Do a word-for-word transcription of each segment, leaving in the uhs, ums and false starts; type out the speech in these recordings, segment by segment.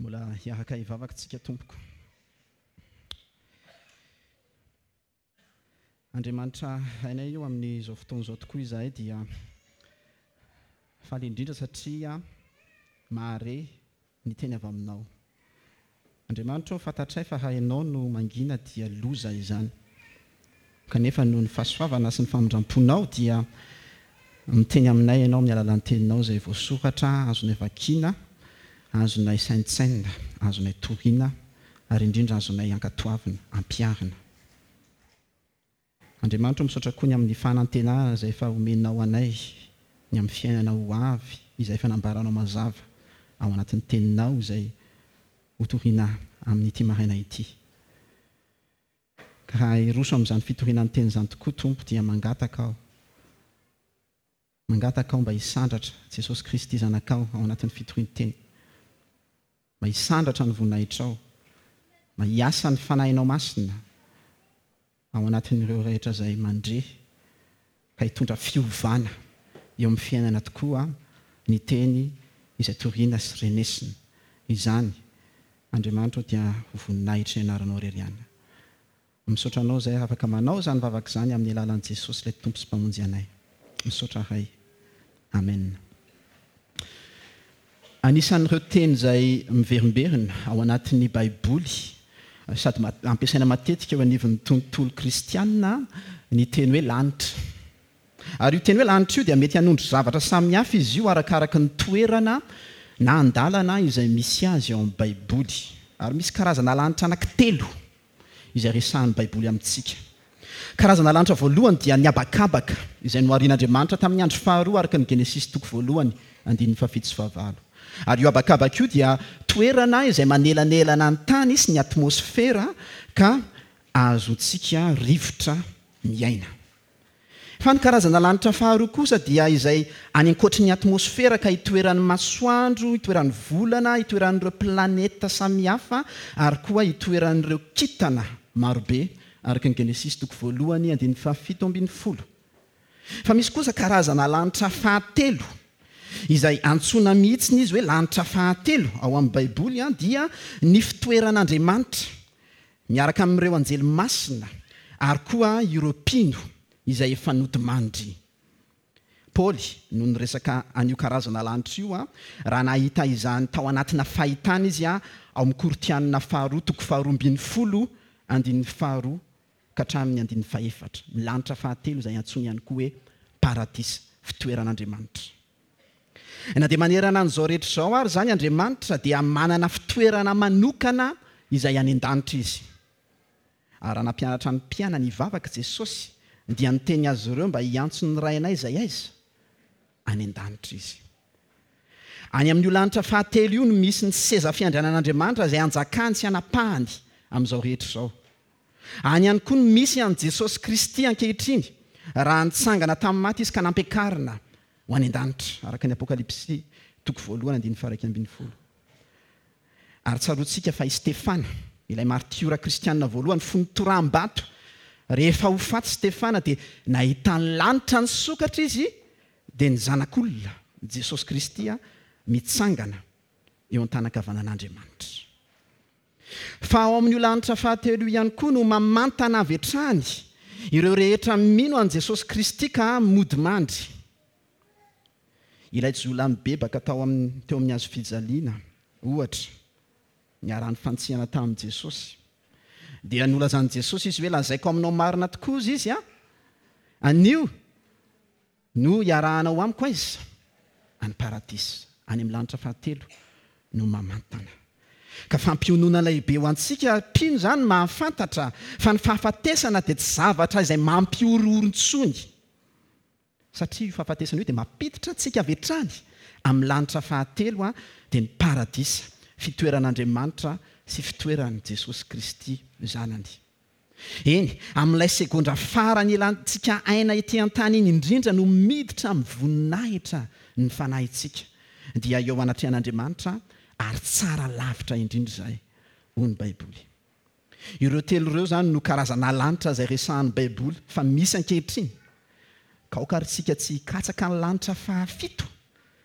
Mbola hiaraka hivavaka tsika tompoko. Andriamanitra hainay io amin'izao fotoana izao tokoa izahay dia faly indrindra satria mahare ny teny avy aminao. Andriamanitra ô, fantatray fa raha ianao no mangina dia loza izany. Kanefa noho ny fahasoavana sy ny famindram-ponao dia miteny aminay ianao amin'ny alalan'ny teninao izay voasoratra, azonay vakiana, azonay saintsainina, azonay torina ary indrindra azonay ankatoavina, ampiharina. Andriamanitra, misaotra koa ny amin'ny fanantenana izay efa omenao anay, ny amin'ny fiainana ho avy izay efa nambaranao mazava ao anatin'ny teninao izay hotorina amin'ity maraina ity. Ka raha hiroso amin'izany fitoriana ny teny izany tokoa Tompo dia mangataka aho. Mangataka aho mba hisandratra Jesosy Kristy zanakao ao anatin'ny fitorian-teny. Mba hisandratra ny voninahitrao. Mba hiasa ny fanahinao masina ao anatin'ireo rehetra izay mandre ka hitondra fiovana eo amin'ny fiainana tokoa ny teny izay toriana sy renesina. Izany, Andriamanitra, dia ho voninahitry ny anaranao irery ihany. Misaotra anao izay afaka manao izany vavaka izany amin'ny alalan'i Jesosy ilay Tompo sy Mpamonjy anay. Misaotra Ray. Amen. Anisan'ireo teny izay miverimberina ao anatin'ny Baiboly sady ampiasaina matetika eo anivon'ny tontolo kristianina ny teny hoe lanitra. Ary io teny hoe lanitra io dia mety hanondro zavatra samihafa izy io arakaraka ny toerana na andalana izay misy azy ao amin'ny Baiboly. Ary misy karazana lanitra anankitelo izay resahan'ny Baiboly amintsika. Karazana lanitra voalohany dia ny habakabaka izay noharian'Andriamanitra tamin'ny andro faharoa araka ny Genesisy toko voalohany andininy fahafito sy fahavalo. Ary io habakabaka io dia toerana izay manelanelana ny tany sy ny atmosfera ka ahazoantsika rivotra miaina. Fa ny karazana lanitra faharoa kosa dia izay any ankoatry ny atmosfera ka itoeran'ny masoandro, itoeran'ny volana, itoeran'ireo planeta samihafa ary koa itoeran'ireo kintana marobe araka ny Genesisy toko voalohany andininy fahafito ambin'ny folo. Fa misy kosa karazana lanitra fahatelo izay antsoina mihitsy izy hoe lanitra fahatelo ao amin'ny Baiboly dia ny fitoeran'Andriamanitra miaraka amin'ireo anjely masina ary koa ireo mpino izay efa nodimandry. Paoly no niresaka an'io karazana lanitra io raha nahita izany tao anatina fahitana izy ao amin'ny Korintianina faharoa toko faharoa ambin'ny folo andininy faharoa ka hatramin'ny andininy fahefatra. Ny lanitra fahatelo izay antsoina ihany koa hoe paradisa, fitoeran'Andriamanitra. Na dia manerana an'izao rehetra izao ary izany Andriamanitra dia manana fitoerana manokana izay any an-danitra izy. Ary raha nampianatra ny mpianany hivavaka Jesosy dia niteny azy ireo mba hiantso ny Rainay izay aiza? Any an-danitra izy. Any amin'io lanitra fahatelo io no misy ny seza fiandrianan'Andriamanitra izay anjakany sy anapahany amin'izao rehetra izao. Any ihany koa no misy an'i Jesosy Kristy ankehitriny raha nitsangana tamin'ny maty izy ka nampiakarina ho any an-danitra araka ny Apokalypsy toko voalohany andininy faha-iraika ambin'ny folo. Ary tsaroantsika fa i Stefana, ilay martiora kristianina voalohany fony toraham-bato, rehefa ho faty Stefana dia nahita ny lanitra nisokatra izy dia ny zanak'olona Jesosy Kristy mitsangana eo an-tanan-kavanan'Andriamanitra. Fa ao amin'io lanitra fahatelo io ihany koa no mamantana avy hatrany ireo rehetra mino an'i Jesosy Kristy ka mody mandry. Ilay jiolahy mibebaka tao amin'ny teo amin'ny hazo fijaliana ohatra niarahan'ny fantsihana tamin'i Jesosy. Dia nolazan'i Jesosy izy hoe lazaiko aminao marina tokoa izy a anio no hiarahanao amiko aiza? Any paradisa, any amin'ny lanitra fahatelo no mamantana. Ka fampiononana lehibe ho antsika mpino izany mahafantatra fa ny fahafatesana dia tsy zavatra izay mampihorohoro intsony. Satria io fahafatesana io dia mampiditra antsika avy hatrany amin'ny lanitra fahatelo dia ny paradisa, fitoeran'Andriamanitra sy fitoeran'i Jesosy Kristy zanany. Eny, amin'ilay segondra farany ilantsika aina ety an-tany iny indrindra no miditra amin'ny voninahitra ny fanahintsika. Dia eo anatrehan'Andriamanitra ary tsara lavitra indrindra izay, hoy ny Baiboly. Ireo telo ireo izany no karazana lanitra izay resahan'ny Baiboly fa misy ankehitriny. Ka aoka ary tsika tsy hikatsaka ny lanitra fahafito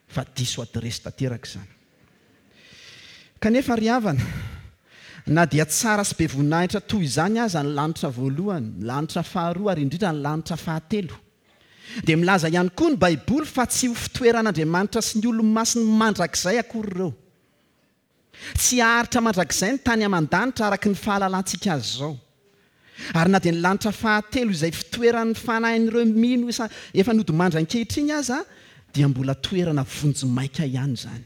fa diso adiresy tanteraka izany. Kanefa ry havana, na dia tsara sy be voninahitra toy izany aza ny lanitra voalohany, ny lanitra faharoa ary indrindra ny lanitra fahatelo, dia milaza ihany koa ny Baiboly fa tsy ho fitoeran'Andriamanitra sy ny olo-masiny mandrakizay akory ireo. Tsy haharitra mandrakizay ny tany aman-danitra araka ny fahalalantsika azy izao. Ary na dia ny lanitra fahatelo izay fitoeran'ny fanahin'ireo mino isa efa nodimandry ankehitriny aza dia mbola toerana vonjimaika ihany izany.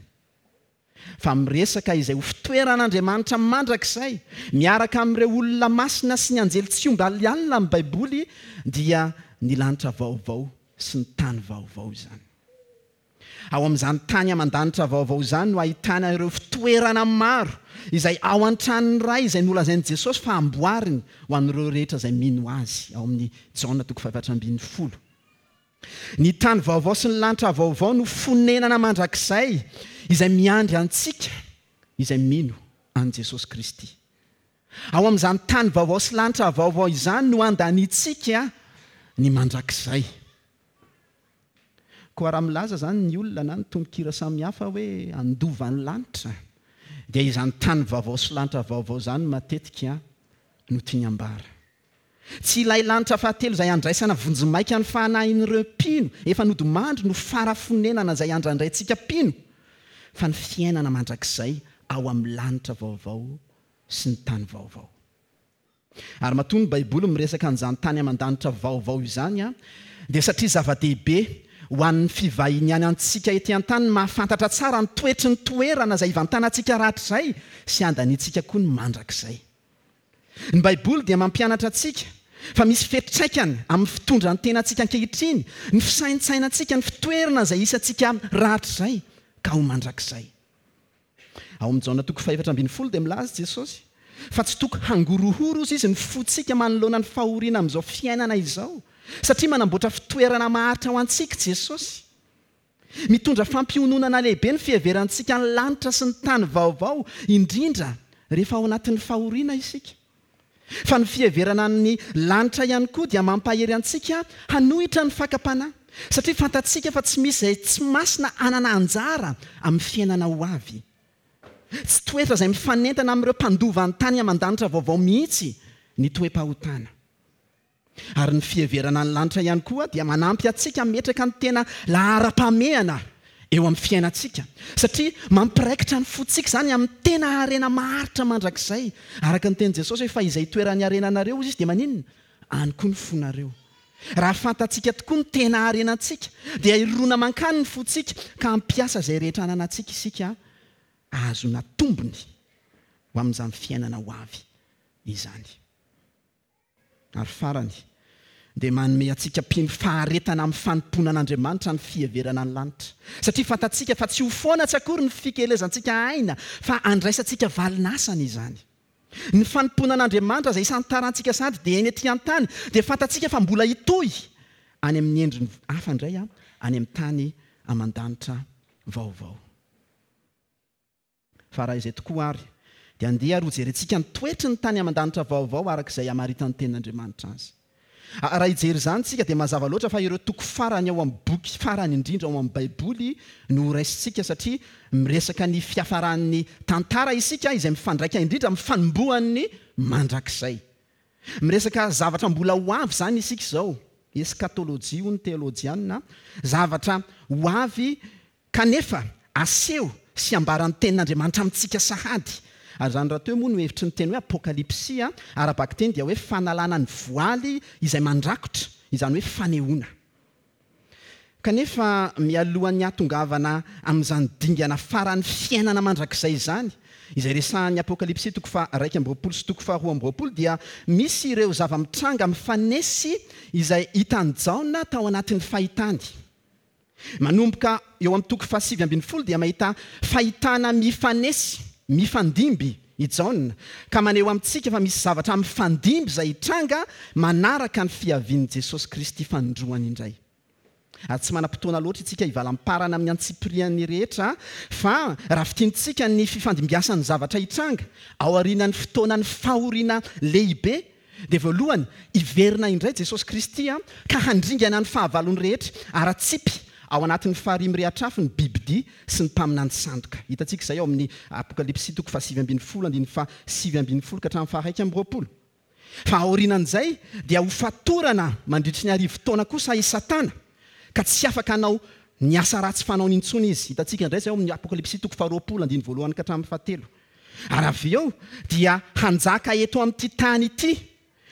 Fa miresaka izay ho fitoeran'Andriamanitra mandrakizay miaraka amin'ireo olona masina sy ny anjely tsy omby alialina amin'ny Baiboly dia ny lanitra vaovao sy ny tany vaovao izany. Ao amin'izany tany aman-danitra vaovao izany no ahitana ireo fitoerana maro izay ao an-tranon'ny Ray izay nolazain'i Jesosy fa amboariny ho an'ireo rehetra izay mino azy ao amin'ny Jaona toko fahefatra ambin'ny folo. Ny tany vaovao sy ny lanitra vaovao no fonenana mandrakizay izay miandry antsika izay mino an'i Jesosy Kristy. Ao amin'izany tany vaovao sy lanitra vaovao izany no andanintsika ny mandrakizay. Koa raha milaza izany ny olona na ny tononkira samihafa hoe handova ny lanitra, dia izany tany vaovao sy lanitra vaovao izany matetika no tiany ambara. Tsy ilay lanitra fahatelo izay andraisana vonjimaika ny fanahin'ireo mpino efa nodimandry no fara-fonenana izay andrandraintsika mpino, fa ny fiainana mandrakizay ao amin'ny lanitra vaovao sy ny tany vaovao. Ary matoa ny Baiboly miresaka an'izany tany aman-danitra vaovao izany, dia satria zava-dehibe ho an'ny fivahiniany antsika ety an-tany ny mahafantatra tsara ny toetry ny toerana izay ivantanantsika rahatrizay sy andaniantsika koa ny mandrakizay. Ny Baiboly dia mampianatra antsika fa misy fiantraikany amin'ny fitondran-tenantsika ankehitriny, ny fisaintsainantsika, ny fitoerana izay isantsika rahatrizay ka ho mandrakizay. Ao amin'ny Jaona toko fahefatra ambin'ny folo dia milaza Jesosy fa tsy toko hangorohoro izy ny fontsika manoloana ny fahoriana amin'izao fiainana izao, satria manamboatra fitoerana maharitra ho antsika Jesosy. Mitondra fampiononana lehibe ny fiheverantsika ny lanitra sy ny tany vaovao, indrindra rehefa ao anatin'ny fahoriana isika. Fa ny fiheverana ny lanitra ihany koa dia mampahery antsika hanohitra ny fakam-panahy, satria fantatsika fa tsy misy izay tsy masina hanana anjara amin'ny fiainana ho avy. Tsy toetra izay mifanentana amin'ireo mpandova ny tany aman-danitra vaovao mihitsy ny toe-pahotana. Ary ny fiheverana ny lanitra ihany koa dia manampy antsika hametraka ny tena laharam-pahamehana eo amin'ny fiainantsika, satria mampiraikitra ny fontsika izany amin'ny tena harena maharitra mandrakizay. Araka ny tenin'i Jesosy hoe fa izay toeran'ny harenanareo izy dia maninona? Any koa ny fonareo. Raha fantatsika tokoa ny tena harenantsika dia hirona mankany ny fontsika ka hampiasa izay rehetra ananantsika isika ahazoana tombony ho amin'izany fiainana ho avy izany. Ary farany dia manome antsika mpino faharetana amin'ny fanompoana an'Andriamanitra ny fiheverana ny lanitra, satria fantatsika fa tsy ho foana tsy akory ny fikelezantsika aina fa andraisantsika valin'asany izany. Ny fanompoana an'Andriamanitra izay isantarantsika sady dia eny ety an-tany dia fantatsika fa mbola hitohy any amin'ny endriny hafa indray any amin'ny tany aman-danitra vaovao. Fa raha izay tokoa ary dia andeha ary hojerentsika ny toetry ny tany aman-danitra vaovao araka izay hamaritan'ny tenin'Andriamanitra azy. Raha hijery izany tsika dia mazava loatra fa ireo toko farany ao amin'ny boky farany indrindra ao amin'ny Baiboly no horaisintsika, satria miresaka ny fiafaran'ny tantara isika izay mifandraika indrindra amin'ny fanombohan'ny mandrakizay. Miresaka zavatra mbola ho avy izany isika izao, eskatolojia hoy ny teolojianina, zavatra ho avy kanefa aseho sy ambaran'ny tenin'Andriamanitra amintsika sahady. Ary izany rahateo moa no hevitry ny teny hoe apokalypsy, ara-bakiteny dia hoe fanalana ny voaly izay mandrakotra, izany hoe fanehoana. Kanefa mialohan'ny hahatongavana amin'izany dingana faran'ny fiainana mandrakizay izany, izay resahan'ny Apokalypsy toko faha-iraika amby roapolo sy toko faharoa amby roapolo, dia misy ireo zava-mitranga mifanesy izay hitan'i Jaona tao anatin'ny fahitany. Manomboka eo amin'ny toko fahasivy ambin'ny folo dia mahita fahitana mifanesy, mifandimby i Jaona, ka maneho amintsika fa misy zavatra mifandimby izay hitranga manaraka ny fiavian'i Jesosy Kristy fanindroany indray. Ary tsy manam-potoana loatra isika hivalamparana amin'ny antsipiriany rehetra, fa raha fintintsika ny fifandimbiasan'ny zavatra hitranga aorian'ny fotoanan'ny fahoriana lehibe, dia voalohany hiverina indray Jesosy Kristy ka handringana ny fahavalony rehetra ara-tsipy ao anatin'ny farihy mirehitra afo ny bibidia sy ny mpaminany sandoka. Hitantsika izay ao amin'ny Apokalypsy toko fahasivy ambin'ny folo andininy fahasivy ambin'ny folo ka hatramin'ny faharaika amby roapolo. Fa aorianan'izay dia ho fatorana mandritry ny arivo taona kosa i Satana, ka tsy afaka hanao ny asa ratsy fanaony intsony izy. Hitantsika indray izay ao amin'ny Apokalypsy toko faharoapolo andininy voalohany ka hatramin'ny fahatelo. Ary avy eo dia hanjaka eto amin'ity tany ity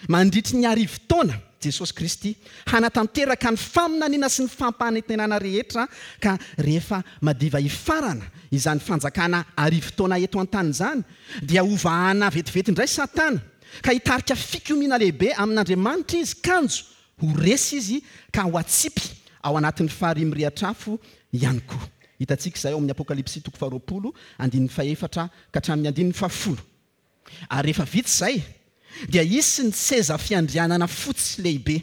mandritry ny arivo taona Jesosy Kristy, hanatanteraka ny faminaniana sy ny fampanantenana rehetra, ka rehefa madiva hifarana izany fanjakana arivo taona eto an-tany izany, dia hovahana vetivety indray Satana, ka hitarika fikomiana lehibe amin'Andriamanitra izy, kanjo ho resy izy ka ho atsipy ao anatin'ny farihy mirehitra afo ihany koa. Hitantsika izay ao amin'ny Apokalypsy toko faharoapolo andininy fahefatra ka hatramin'ny andininy fahafolo. Ary rehefa vita izay, dia hisy ny seza fiandrianana fotsy lehibe,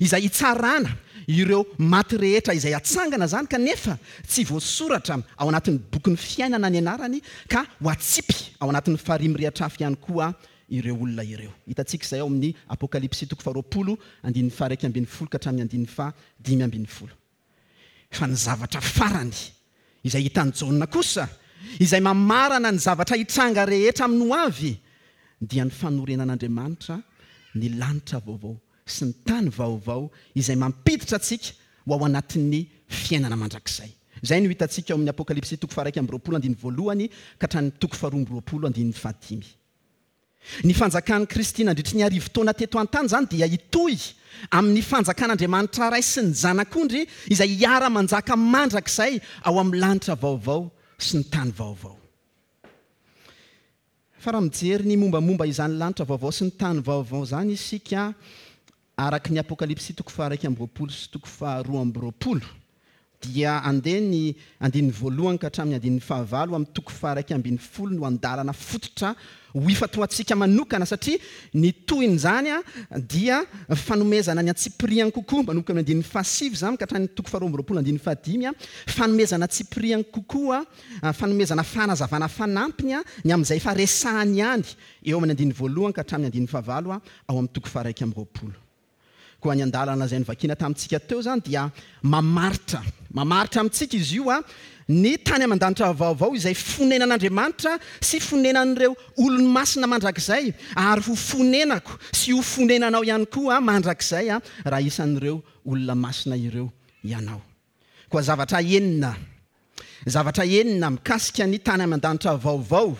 izay hitsarana ireo maty rehetra izay hatsangana izany, kanefa tsy voasoratra ao anatin'ny bokin'ny fiainana ny anarany, ka ho atsipy ao anatin'ny farihy mirehitra afo ihany koa ireo olona ireo. Hitantsika izay ao amin'ny Apokalypsy toko faharoapolo andininy faharaika ambin'ny folo ka hatramin'ny andininy fahadimy ambin'ny folo. Fa ny zavatra farany izay hitan'i Jaona kosa, izay mamarana ny zavatra hitranga rehetra amin'ny hoavy, dia ny fanorenan'Andriamanitra ny lanitra vaovao sy ny tany vaovao izay mampiditra antsika ho ao anatin'ny fiainana mandrakizay. Izay no hitantsika ao amin'ny Apokalypsy toko faharaika amby roapolo andininy voalohany ka hatramin'ny toko faharoa amby roapolo andininy fahadimy. Ny fanjakan'i Kristy nandritry ny arivo taona teto an-tany izany dia hitohy amin'ny fanjakan'Andriamanitra Ray sy ny Zanak'ondry izay hiara-manjaka mandrakizay ao amin'ny lanitra vaovao sy ny tany vaovao. Fa raha mijery ny mombamomba izany lanitra vaovao sy ny tany vaovao izany isika, araka ny Apokalypsy toko faharaika amby roapolo sy toko faharoa amby roapolo, dia andeha ny andininy voalohany ka hatramin'ny andininy fahavalo amin'ny toko faharaika ambin'ny folo no andalana fototra ho ifantohantsika manokana, satria ny tohin'izany dia fanomezana ny antsipiriany kokoa, manomboka amin'ny andininy fahasivy izany ka hatramin'ny toko faharoa amby roapolo andininy fahadimy, fanomezana antsipiriany kokoa, fanomezana fanazavana fanampiny ny amin'izay efa resahany ihany eo amin'ny andininy voalohany ka hatramin'ny andininy fahavalo ao amin'ny toko faharaika amby roapolo. Koa ny andalana izay novakiana tamintsika teo izany dia mamaritra, mamaritra amintsika izy io a, ny tany aman-danitra vaovao izay fonenan'Andriamanitra sy fonenan'ireo olony masina mandrakizay, ary ho fonenako sy ho fonenanao ihany koa mandrakizay a, raha isan'ireo olona masina ireo ianao. Koa zavatra enina, zavatra enina mikasika ny tany aman-danitra vaovao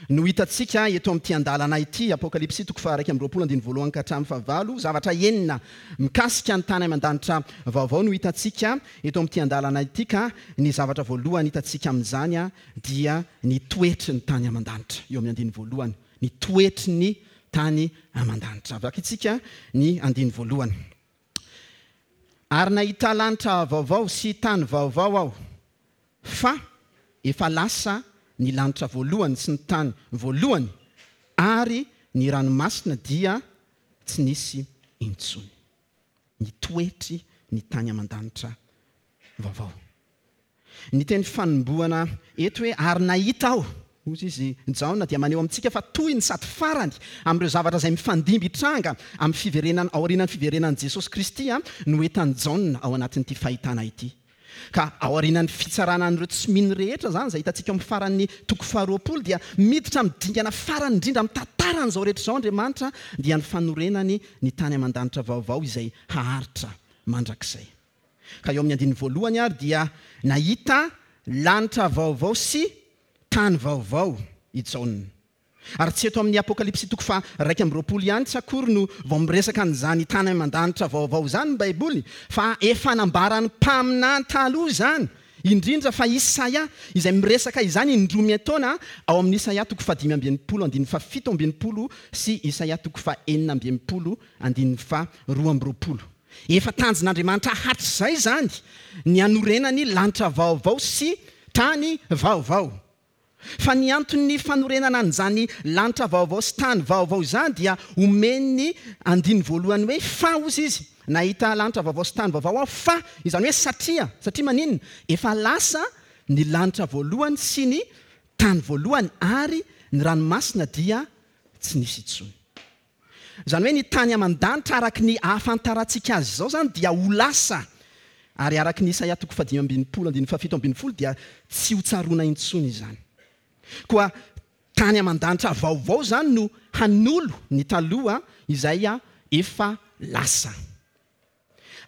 no hitantsika eto amin'ity andalana ity, Apokalypsy toko faharaika amby roapolo andininy voalohany ka hatramin'ny fahavalo. Zavatra enina mikasika ny tany aman-danitra vaovao no hitantsika eto amin'ity andalana ity, ka ny zavatra voalohany hitantsika amin'izany dia ny toetry ny tany aman-danitra. Eo amin'ny andininy voalohany, ny toetry ny tany aman-danitra. Vakintsika ny andininy voalohany. Ary nahita lanitra vaovao sy tany vaovao aho, fa efa lasa ny lanitra voalohany sy ny tany voalohany, ary ny ranomasina dia tsy nisy intsony. Ny toetry ny tany aman-danitra vaovao. Ny teny fanombohana eto hoe ary nahita aho, hoy izy Jaona, dia maneho amintsika fa toy ny sady farany amin'ireo zavatra izay mifandimby hitranga amin'ny fiverenana, aorianan'ny fiverenan'i Jesosy Kristy no hitan'i Jaona ao anatin'ity fahitana ity. Ka aorianan'ny fitsarana an'ireo tsy mino rehetra izany, izay hitantsika amin'ny faran'ny toko faharoapolo, dia miditra amin'ny dingana farany indrindra amin'ny tantaran'izao rehetra izao Andriamanitra, dia ny fanorenany ny tany aman-danitra vaovao izay haharitra mandrakizay. Ka eo amin'ny andininy voalohany ary dia nahita lanitra vaovao sy tany vaovao i Jaona. Ary tsy eto amin'ny Apokalypsy toko faharaika amby roapolo ihany tsy akory no vao miresaka an'izany tany aman-danitra vaovao izany ny Baiboly, fa efa nambaran'ny mpaminany taloha izany, indrindra fa Isaia izay miresaka izany indroa miantaona ao amin'ny Isaia toko fahadimy amby enimpolo andininy fahafito amby enimpolo sy Isaia toko fahenina amby enimpolo andininy faharoa amby roapolo. Efa tanjon'Andriamanitra hatrizay izany ny hanorenany lanitra vaovao sy tany vaovao. Fa ny anton'ny fanorenana an'izany lanitra vaovao sy tany vaovao izany dia omen'ny andininy voalohany hoe fa, hozy izy, nahita lanitra vaovao sy tany vaovao aho, fa, izany hoe satria, satria maninona? Efa lasa ny lanitra voalohany sy ny tany voalohany ary ny ranomasina dia tsy nisy intsony. Izany hoe ny tany aman-danitra araka ny ahafantarantsika azy izao izany dia ho lasa Ary araka ny Isaia toko fahadimy ambin'ny folo andininy fahafito ambin'ny folo dia tsy ho tsaroana intsony izany. Koa tany aman-danitra vaovao izany no hanolo ny taloha izay efa lasa.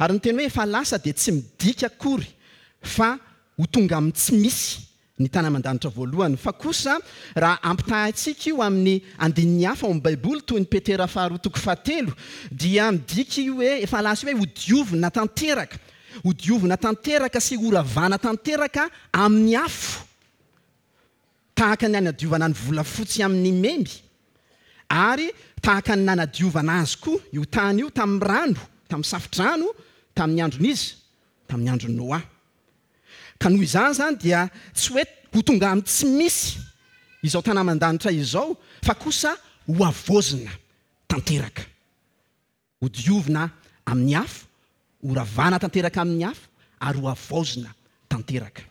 Ary ny teny hoe efa lasa dia tsy midika akory fa ho tonga amin'ny tsy misy ny tany aman-danitra voalohany. Fa kosa raha ampitahaintsika io amin'ny andininy hafa ao amin'ny Baiboly toy ny Petera faharoa toko fahatelo dia midika io hoe efa lasa io hoe hodiovina tanteraka, hodiovina tanteraka sy horavana tanteraka amin'ny afo, tahaka ny nanadiovana ny volafotsy amin'ny memy, ary tahaka ny nanadiovana azy koa io tany io tamin'ny rano, tamin'ny safodrano, tamin'ny andron'izy, tamin'ny andron'i Noa. Ka noho izany zany dia tsy hoe ho tonga amin'ny tsy misy izao tany aman-danitra izao, fa kosa ho havaozina tanteraka, hodiovina amin'ny afo, horavana tanteraka amin'ny afo, ary ho havaozina tanteraka.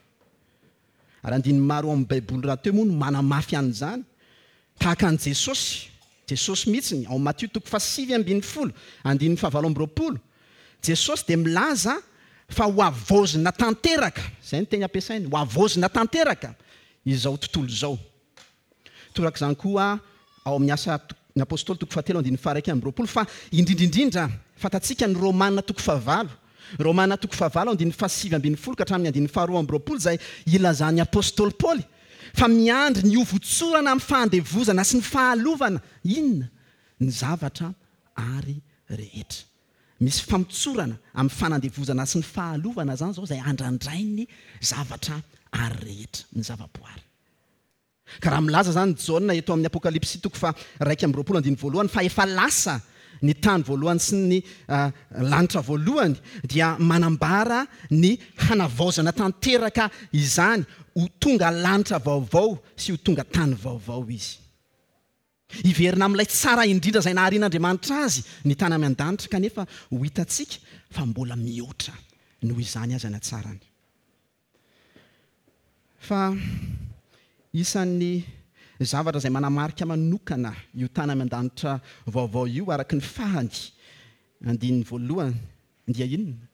Ary andininy maro ao amin'ny Baiboly rahateo moa no manamafy an'izany, tahaka an'i Jesosy, Jesosy mihitsy ao Matio toko fahasivy ambin'ny folo, andininy fahavalo amby roapolo. Jesosy dia milaza fa ho havaozina tanteraka, izay ny teny ampiasainy, ho havaozina tanteraka izao tontolo izao. Torak'izany koa ao amin'ny asa ny Apôstôly toko fahatelo andininy faha-iraika amby roapolo, fa indrindrindrindra fantatsika ny Romana toko fahavalo. Romana toko fahavalo andininy fahasivy ambin'ny folo ka hatramin'ny andininy faharoa amby roapolo izay ilazan'ny Apôstôly Paoly fa miandry ny hovotsorana amin'ny fahandevozana sy ny fahalovana inona ny zavatra ary rehetra. Misy famotsorana amin'ny fanandevozana sy ny fahalovana zany zao izay andrandrain'ny zavatra ary rehetra, ny zavaboary. Ka raha milaza zany Jaona eto amin'ny Apokalypsy toko faha-iraika amby roapolo andininy voalohany fa efa lasa ny tany voalohany sy ny lanitra voalohany, dia manambara ny hanavaozana tanteraka izany ho tonga lanitra vaovao sy ho tonga tany vaovao izy. Hiverina amin'ilay tsara indrindra izay naharian'Andriamanitra azy ny tany any an-danitra, kanefa ho hitantsika fa mbola mihoatra noho izany aza ny hatsarany. Fa isan'ny zavatra izay manamarika manokana io tany any an-danitra vaovao io araka ny farany andininy voalohany dia inona?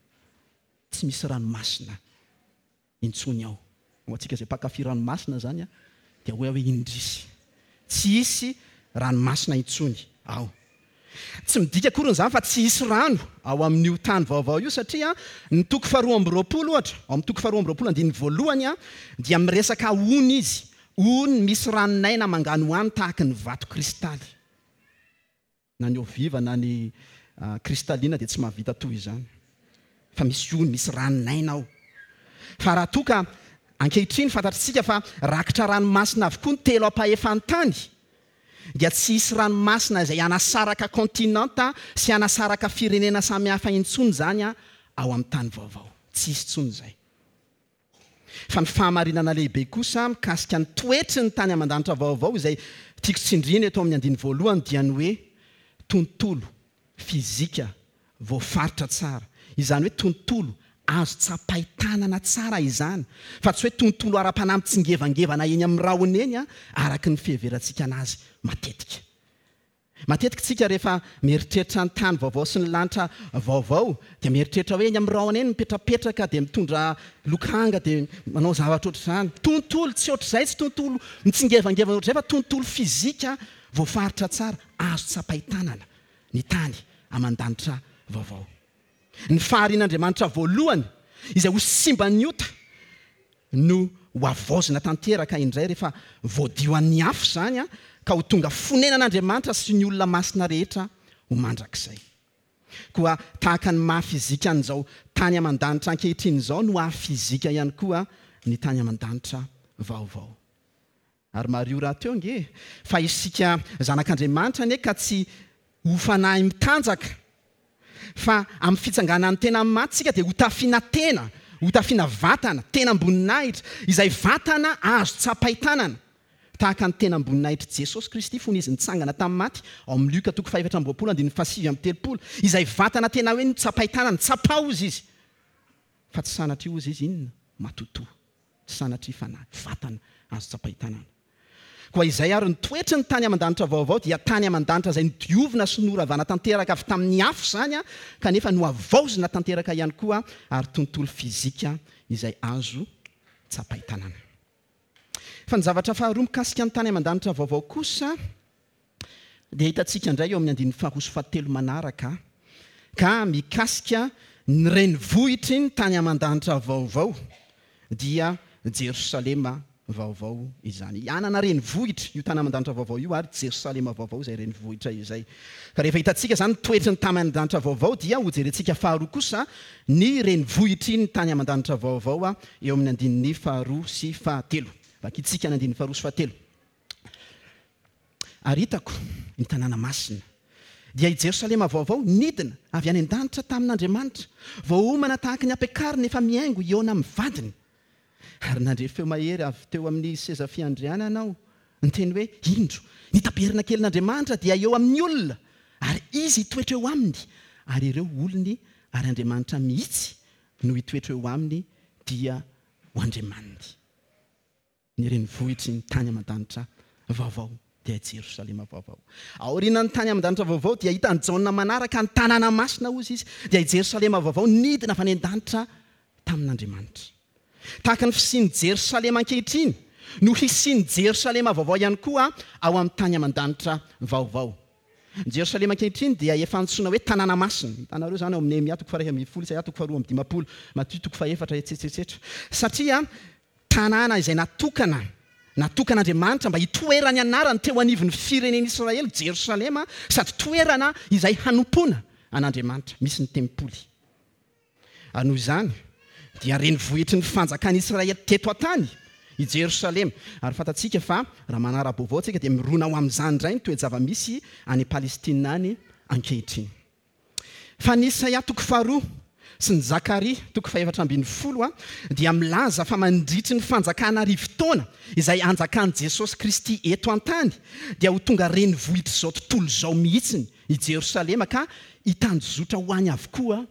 Tsy misy ranomasina intsony ao. Ho antsika izay mpankafy ranomasina zany dia hoe hoe indrisy, tsy hisy ranomasina intsony ao. Tsy midika akory izany fa tsy hisy rano ao amin'io tany vaovao io, satria ny toko faharoa amby roapolo ohatra, ao amin'ny toko faharoa amby roapolo andininy voalohany dia miresaka ony izy, ony misy ranon'aina manganohano tahaka ny vato kristaly. Na ny eau vive na ny kristalina dia tsy mahavita toy izany, fa misy ony, misy ranon'aina ao. Fa raha toa ka ankehitriny fantatritsika fa rakitra ranomasina avokoa ny telo ampahefan'ny tany, dia tsy hisy ranomasina izay hanasaraka kontinanta sy hanasaraka firenena samihafa intsony izany ao amin'ny tany vaovao. Tsy hisy intsony izay. Fa ny fahamarinana lehibe kosa mikasika ny toetry ny tany aman-danitra vaovao izay tiako tsindriana eto amin'ny andininy voalohany dia ny hoe tontolo fizika voafaritra tsara. Izany hoe tontolo azo tsapain-tanana tsara izany, fa tsy hoe tontolo ara-panahy mitsingevangevana eny amin'ny rahona eny araka ny fiheverantsika anazy matetika. Matetika tsika rehefa mieritreritra ny tany vaovao sy ny lanitra vaovao dia mieritreritra hoe eny amin'ny rahona eny mipetrapetraka dia mitondra lokanga dia manao zavatra ohatr'izany. Tontolo tsy ohatr'izay, tsy tontolo mitsingevangevana ohatr'izay, fa tontolo fizika voafaritra tsara azo tsapain-tanana ny tany aman-danitra vaovao. Ny faharian'Andriamanitra voalohany izay ho simban'ny ota no ho havaozina tanteraka indray rehefa voadio an'ny afo izany, ka ho tonga fonenan'Andriamanitra sy ny olona masina rehetra ho mandrakizay. Koa tahaka ny maha fizika an'izao tany aman-danitra ankehitriny izao no haha fizika ihany koa ny tany aman-danitra vaovao. Ary mariho rahateo nge fa isika zanak'Andriamanitra anie ka tsy ho fanahy mitanjaka, fa amin'ny fitsanganan'ny tena amin'ny maty tsika dia ho tafiana tena, ho tafiana vatana, tenam-boninahitra, izay vatana azo tsapain-tanana, tahaka ny tenam-boninahitr'i Jesosy Kristy fony izy nitsangana tamin'ny maty, ao amin'ny Lioka toko fahefatra amby roapolo andininy fahasivy amby telopolo, izay vatana tena hoe notsapain-tanana, tsapao hozy izy, fa tsy sanatria hozy izy inona? Matotoa, tsy sanatria fanahy, vatana azo tsapain-tanana. Koa izay ary ny toetry ny tany aman-danitra vaovao dia tany aman-danitra izay nodiovina sy noravana tanteraka avy tamin'ny afo izany, kanefa nohavaozina tanteraka ihany koa, ary tontolo fizika izay azo tsapain-tanana. Fa ny zavatra faharoa mikasika ny tany aman-danitra vaovao kosa dia hitantsika indray eo amin'ny andininy faharoa sy fahatelo manaraka, ka mikasika ny renivohitry ny tany aman-danitra vaovao dia Jerosalema vaovao izany. Hanana renivohitra io tany aman-danitra vaovao io, ary Jerosalema vaovao izay renivohitra izay. Ka rehefa hitantsika izany ny toetry ny tany aman-danitra vaovao dia hojerentsika faharoa kosa ny renivohitry ny tany aman-danitra vaovao eo amin'ny andininy faharoa sy fahatelo. Vakintsika ny andininy faharoa sy fahatelo. Ary hitako ny tanàna masina, dia i Jerosalema vaovao nidina avy any an-danitra tamin'Andriamanitra, voaomana tahaka ny ampiakarina efa mihaingo hihaona amin'ny vadiny. Ary nandre feo mahery avy teo amin'ny seza fiandrianana aho, niteny hoe: indro, ny tabernakelin'Andriamanitra dia eo amin'ny olona, ary izy hitoetra eo aminy, ary ireo olony ary Andriamanitra mihitsy no hitoetra eo aminy, dia ho Andriamaniny. Ny renivohitry ny tany aman-danitra vaovao dia Jerosalema vaovao. Aorian'ny tany aman-danitra vaovao dia hitan'i Jaona manaraka ny tanàna masina, hozy izy, dia i Jerosalema vaovao nidina avy any an-danitra tamin'Andriamanitra. Tahaka ny fisian'i Jerosalema ankehitriny no hisian'i Jerosalema vaovao ihany koa ao amin'ny tany aman-danitra vaovao. Jerosalema ankehitriny dia efa antsoina hoe tanàna masina. Hitanareo izany ao amin'ny Nehemia toko faha-iraika ambin'ny folo, Isaia toko faharoa amby dimampolo, Matio toko fahaefatra, etcetera etcetera. Satria tanàna izay natokana, natokan'Andriamanitra mba hitoerany anarany teo anivon'ny firenen'Israely, Jerosalema, sady toerana izay hanompoana an'Andriamanitra, misy ny tempoly. Ary noho izany dia renivohitry ny fanjakan'Israely teto an-tany i Jerosalema. Ary fantatsika fa raha manara-baovao tsika dia mirona ho amin'izany indray ny toe-java-misy any Palestina any ankehitriny. Fa ny Isaia toko faharoa sy ny Zakaria toko fahefatra ambin'ny folo a dia milaza fa mandritry ny fanjakana arivo taona izay anjakan'i Jesosy Kristy eto an-tany dia ho tonga renivohitr'izao tontolo izao mihitsiny i Jerosalema, ka hitanjozotra ho any avokoa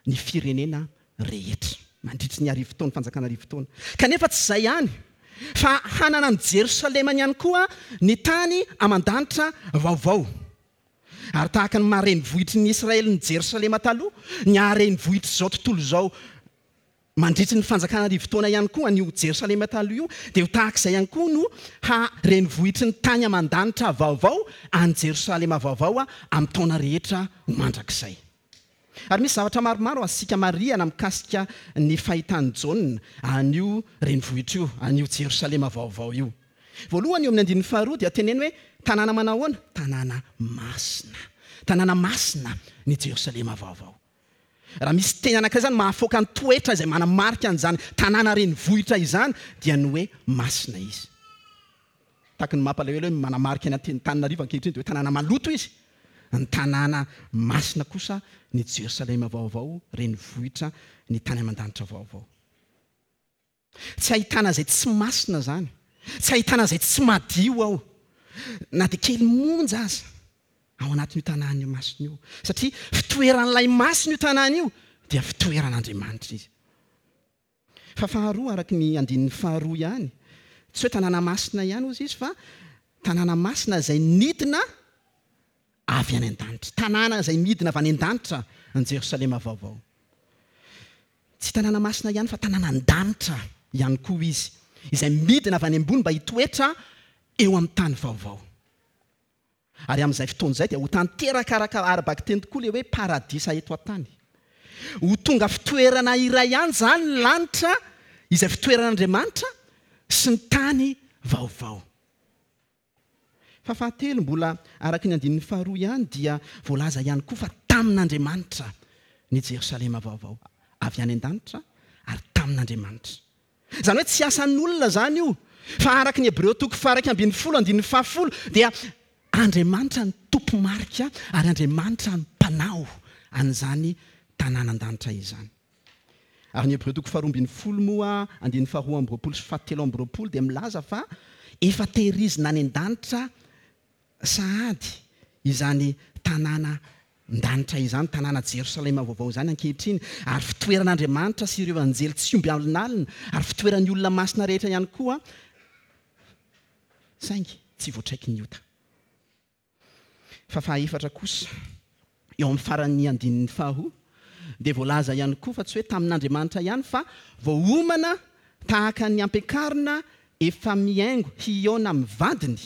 ny firenena rehetra mandritry ny arivo taona, fanjakana arivo taona. Kanefa tsy izay ihany, fa hanana ny Jerosalemany ihany koa ny tany aman-danitra vaovao. Ary tahaka ny maha-renivohitry ny Israely ny Jerosalema taloha, ny haha-renivohitr'izao tontolo izao mandritry ny fanjakana arivo taona ihany koa an'io Jerosalema taloha io, dia ho tahaka izay ihany koa no haha-renivohitry ny tany aman-danitra vaovao any Jerosalema vaovao amin'ny taona rehetra ho mandrakizay. Ary misy zavatra maromaro azontsika marihana mikasika ny fahitan'i Jaona an'io renivohitra io, an'io Jerosalema vaovao io. Voalohany, eo amin'ny andininy faharoa dia teneno hoe tanàna manahoana? Tanàna masina. Tanàna masina ny Jerosalema vaovao. Raha misy teny anankiray izany mahafoaka ny toetra izay manamarika an'izany tanàna renivohitra izany dia ny hoe masina izy. Tahaka ny mampalahelo hoe manamarika ny Antananarivo ankehitriny dia hoe tanàna maloto izy. Ny tanàna masina kosa ny Jerosalema vaovao, renivohitra ny tany aman-danitra vaovao. Tsy ahitana izay tsy masina izany, tsy ahitana izay tsy madio ao, na dia kely monja aza ao anatin'io tanàna io masina io. Satria fitoeran'ilay masina io tanàna io dia fitoeran'Andriamanitra izy. Fa faharoa, araka ny andininy faharoa ihany, tsy hoe tanàna masina ihany hozy izy, fa tanàna masina izay nidina avy any an-danitra. Tanàna izay midina avy any an-danitra ny Jerosalema vaovao. Tsy tanàna masina ihany fa tanàna an-danitra ihany koa izy, izay midina avy any ambony mba hitoetra eo amin'ny tany vaovao. Ary amin'izay fotoana izay dia ho tanteraka araka ara-bakiteny tokoa ilay hoe paradisa eto an-tany. Ho tonga fitoerana iray ihany izany ny lanitra izay fitoeran'Andriamanitra sy ny tany vaovao. Fa fahatelo, mbola araka ny andininy faharoa ihany, dia voalaza ihany koa fa tamin'Andriamanitra ny Jerosalema vaovao, avy any an-danitra ary tamin'Andriamanitra. Izany hoe tsy asan'olona izany io, fa araka ny Hebreo toko faha-iraika ambin'ny folo andininy fahafolo dia Andriamanitra no tompo-marika ary Andriamanitra no mpanao an'izany tanàna an-danitra izany. Ary ny Hebreo toko faharoa ambin'ny folo moa andininy faharoa amby roapolo sy fahatelo amby roapolo dia milaza fa efa tehirizina any an-danitra sahady izany tanàna an-danitra izany, tanàna Jerosalema vaovao izany ankehitriny, ary fitoeran'Andriamanitra sy ireo anjely tsy omby alinalina, ary fitoeran'ny olona masina rehetra ihany koa, saingy tsy voatraiky ny ota. Fa fahaefatra kosa, eo amin'ny faran'ny andininy faharoa, dia voalaza ihany koa fa tsy hoe tamin'Andriamanitra ihany fa voaomana tahaka ny ampiakarina efa mihaingo hihaona amin'ny vadiny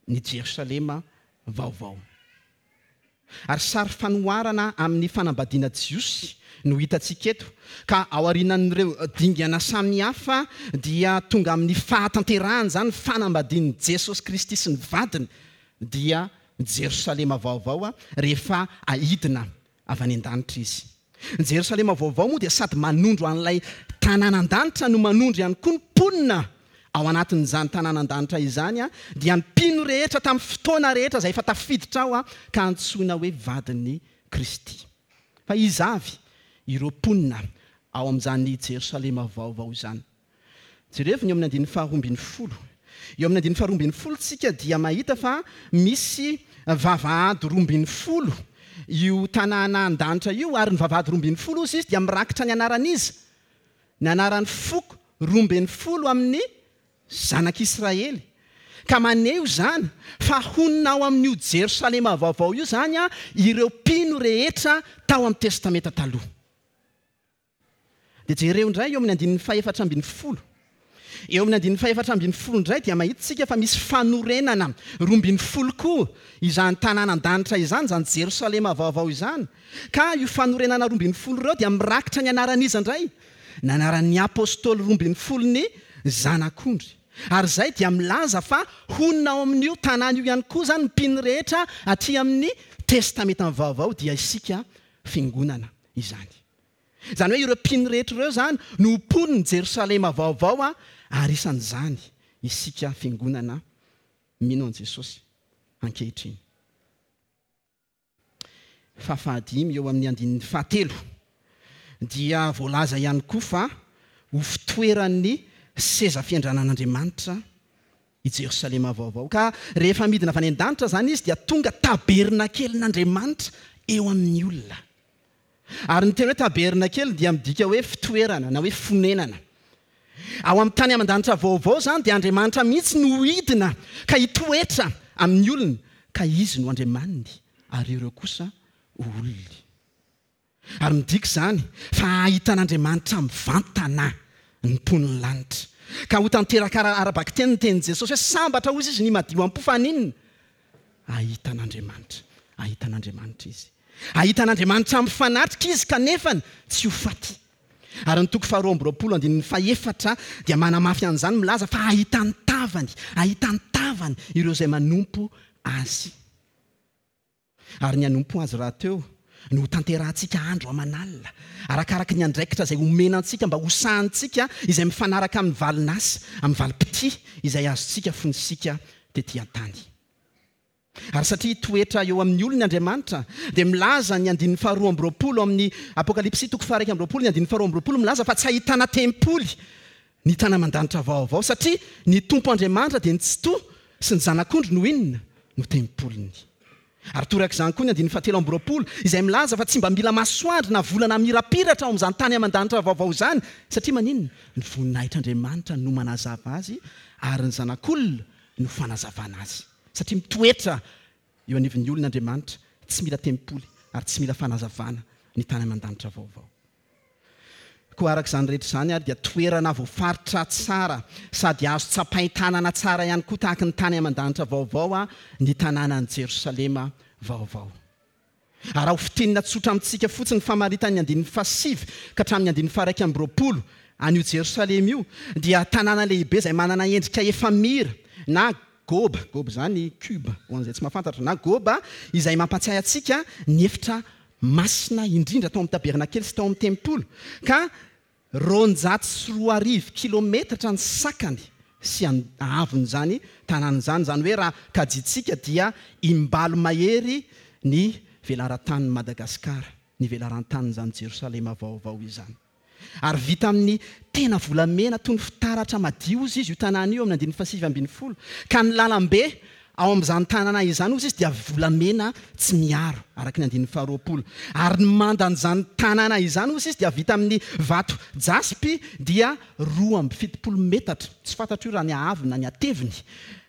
ny Jerosalema vaovao. Ary sary fanoharana amin'ny fanambadiana jiosy no hitantsika eto, ka ao aorianan'ireo dingana samihafa dia tonga amin'ny fahatanterahana izany fanambadian'i Jesosy Kristy sy ny vadiny, dia Jerosalema vaovao rehefa aidina avy any an-danitra izy. Ny Jerosalema vaovao moa dia sady manondro an'ilay tanàna an-danitra no manondro ihany koa ny mponina ao anatin'izany tanàna an-danitra izany, dia ny mpino rehetra tamin'ny fotoana rehetra izay efa tafiditra ao ka antsoina hoe vadin'i Kristy. Fa iza avy ireo mponina ao amin'izany Jerosalema vaovao izany? Jerevo ny eo amin'ny andininy faharoa ambin'ny folo. Eo amin'ny andininy faharoa ambin'ny folo tsika dia mahita fa misy vavahady roa ambin'ny folo io tanàna an-danitra io, ary ny vavahady roa ambin'ny folo izy dia mirakitra ny anaran'iza? Ny anaran'ny foko roa ambin'ny folo amin'ny zanak'Israely. Ka maneho izany fa honina ao amin'io Jerosalema vaovao io izany a ireo mpino rehetra tao amin'ny Testamenta taloha. Dia jereo indray eo amin'ny andininy fahefatra ambin'ny folo. Eo amin'ny andininy fahefatra ambin'ny folo indray dia mahita isika fa misy fanorenana roa ambin'ny folo koa izany tanàna an-danitra izany, izany Jerosalema vaovao izany. Ka io fanorenana roa ambin'ny folo ireo dia mirakitra ny anaran'iza indray? Ny anaran'ny apôstôly roa ambin'ny folo ny zanak'ondry. Ary izay dia milaza fa honina ao amin'io tanàna io ihany koa izany ny mpino rehetra aty amin'ny Testamenta vaovao, dia isika fiangonana izany. Izany hoe ireo mpino rehetra ireo izany no mponin'i Jerosalema vaovao, ary isan'izany isika fiangonana mino an'i Jesosy ankehitriny. Fa fahadimy eo amin'ny andininy fahatelo dia voalaza ihany koa fa ho fitoeran'ny seza fiandranan'Andriamanitra i Jerosalema vaovao. Ka rehefa midina avy any an-danitra izany izy dia tonga tabernakelin'Andriamanitra eo amin'ny olona. Ary ny teny hoe tabernakely dia midika hoe fitoerana na hoe fonenana. Ao amin'ny tany aman-danitra vaovao izany dia Andriamanitra mihitsy no hidina ka hitoetra amin'ny olona, ka izy no Andriamaniny ary ireo kosa ho olony. Ary midika izany fa hahitan'Andriamanitra mivantana ny mponin'ny lanitra. Ka ho tanteraka ara-bakiteny ny tenin'i Jesosy hoe sambatra hozy izy ny madio am-po, fa haninona? Hahitan'Andriamanitra. Hahitan'Andriamanitra izy. Hahitan'Andriamanitra mifanatrika izy kanefa tsy ho faty. Ary ny toko faharoa amby roapolo andininy fahefatra dia manamafy an'izany, milaza fa hahita ny tavany, hahita ny tavany ireo izay manompo azy. Ary ny hanompo azy rahateo no ho tanterahantsika andro aman'alina, arakaraka ny andraikitra izay omena antsika mba ho sahantsika izay mifanaraka amin'ny valin'asa, amin'ny valim-pitia izay azontsika fony isika tety an-tany. Ary satria hitoetra eo amin'ny olony Andriamanitra, dia milaza ny andininy faharoa amby roapolo amin'ny Apokalypsy toko faha-iraika amby roapolo, ny andininy faharoa amby roapolo milaza fa tsy ahitana tempoly ny tanàna-mandanitra vaovao, satria ny Tompo Andriamanitra dia ny Tsitoha sy ny Zanak'ondry no inona? No tempoliny. Ary torak'izany koa ny andininy fahatelo amby roapolo, izay milaza fa tsy mba mila masoandro na volana mirapiratra ao amin'izany tany aman-danitra vaovao izany, satria maninona? Ny voninahitr'Andriamanitra no manazava azy, ary ny Zanak'olona no fanazavana azy. Satria mitoetra eo anivon'ny olona Andriamanitra, tsy mila tempoly ary tsy mila fanazavana ny tany aman-danitra vaovao. Koa araka izany rehetra izany ary dia toerana voafaritra tsara sady azo tsapain-tanana tsara ihany koa tahaka ny tany aman-danitra vaovao ny tanànan'i Jerosalema vaovao. Ary raha ho fintinina tsotra amintsika fotsiny ny famaritan'ny andininy fahasivy ka hatramin'ny andininy faha-iraika amby roapolo an'io Jerosalema io, dia tanàna lehibe izay manana endrika efamira na goba, goba izany cube ho an'izay tsy mahafantatra, na goba izay mampatsiahy antsika ny efitra masina indrindra tao amin'ny tabernakely sy tao amin'ny tempoly, ka roanjato sy roa arivo kilometatra ny sakany sy ahavon'izany tanàna izany. Izany hoe raha kajitsika dia imbalo mahery ny velaran-tanin'i Madagasikara, ny velaran-tanin'izany Jerosalema vaovao izany. Ary vita amin'ny tena volamena toy ny fitaratra madio izy io tanàna io amin'ny andininy fahasivy ambin'ny folo, ka ny lalambe ao amin'izany tanàna izany ozy izy dia volamena tsy miaro, araka ny andininy faharoapolo. Ary ny mandan'izany tanàna izany ozy izy dia vita amin'ny vato jaspy dia roa amby fitopolo metatra, tsy fantatro io raha ny haavony na ny hateviny,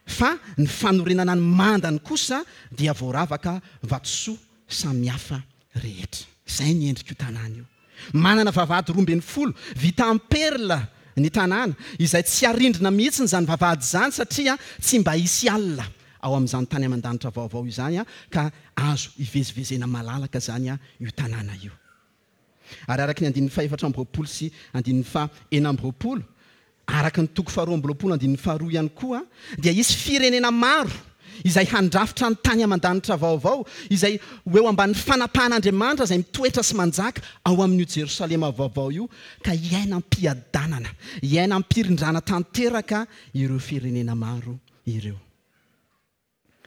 Fa ny fanorenana ny mandany kosa dia voaravaka vatosoa samihafa rehetra. Izay ny endrik'io tanàna io. Manana vavahady roa ambin'ny folo vita amin'ny perla ny tanàna, izay tsy harindrina mihitsy izany vavahady izany satria tsy mba hisy alina ao amin'izany tany aman-danitra vaovao izany, ka azo ivezivezena malalaka izany io tanàna io. Ary araka ny andininy fahefatra amby roapolo sy andininy fahenina amby roapolo, araka ny toko faharoa amby roapolo andininy faharoa ihany koa, dia hisy firenena maro izay handrafitra ny tany aman-danitra vaovao, izay ho eo ambanin'ny fanapahan'Andriamanitra izay mitoetra sy manjaka ao amin'io Jerosalema vaovao io, ka hiaina am-piadanana, hiaina am-pirindrana tanteraka ireo firenena maro ireo.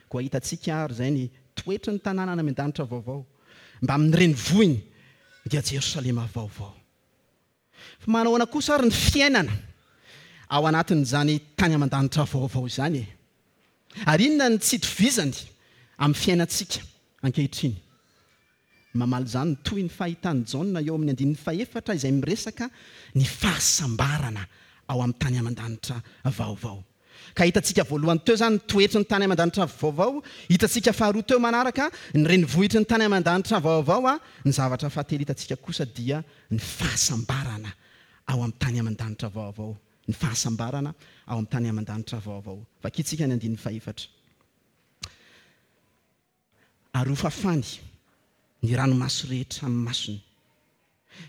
Koa hitantsika ary izay ny toetry ny tanàna any amin-danitra vaovao, mbamin'ny renivohiny dia Jerosalema vaovao. Fa manahoana kosa ary ny fiainana ao anatin'izany tany aman-danitra vaovao izany e? Ary inona ny tsy itovizany amin'ny fiainantsika ankehitriny? Mamaly izany ny toy ny fahitan'i Jaona eo amin'ny andininy fahefatra izay miresaka ny fahasambarana ao amin'ny tany aman-danitra vaovao. Ka hitantsika voalohany teo izany ny toetry ny tany aman-danitra vaovao, hitantsika faharoa teo manaraka ny renivohitry ny tany aman-danitra vaovao, ny zavatra fahatelo hitantsika kosa dia ny fahasambarana ao amin'ny tany aman-danitra vaovao. Ny fahasambarana ao amin'ny tany aman-danitra vaovao. Vakintsika ny andininy fahefatra. Ary hofafany ny ranomaso rehetra amin'ny masony.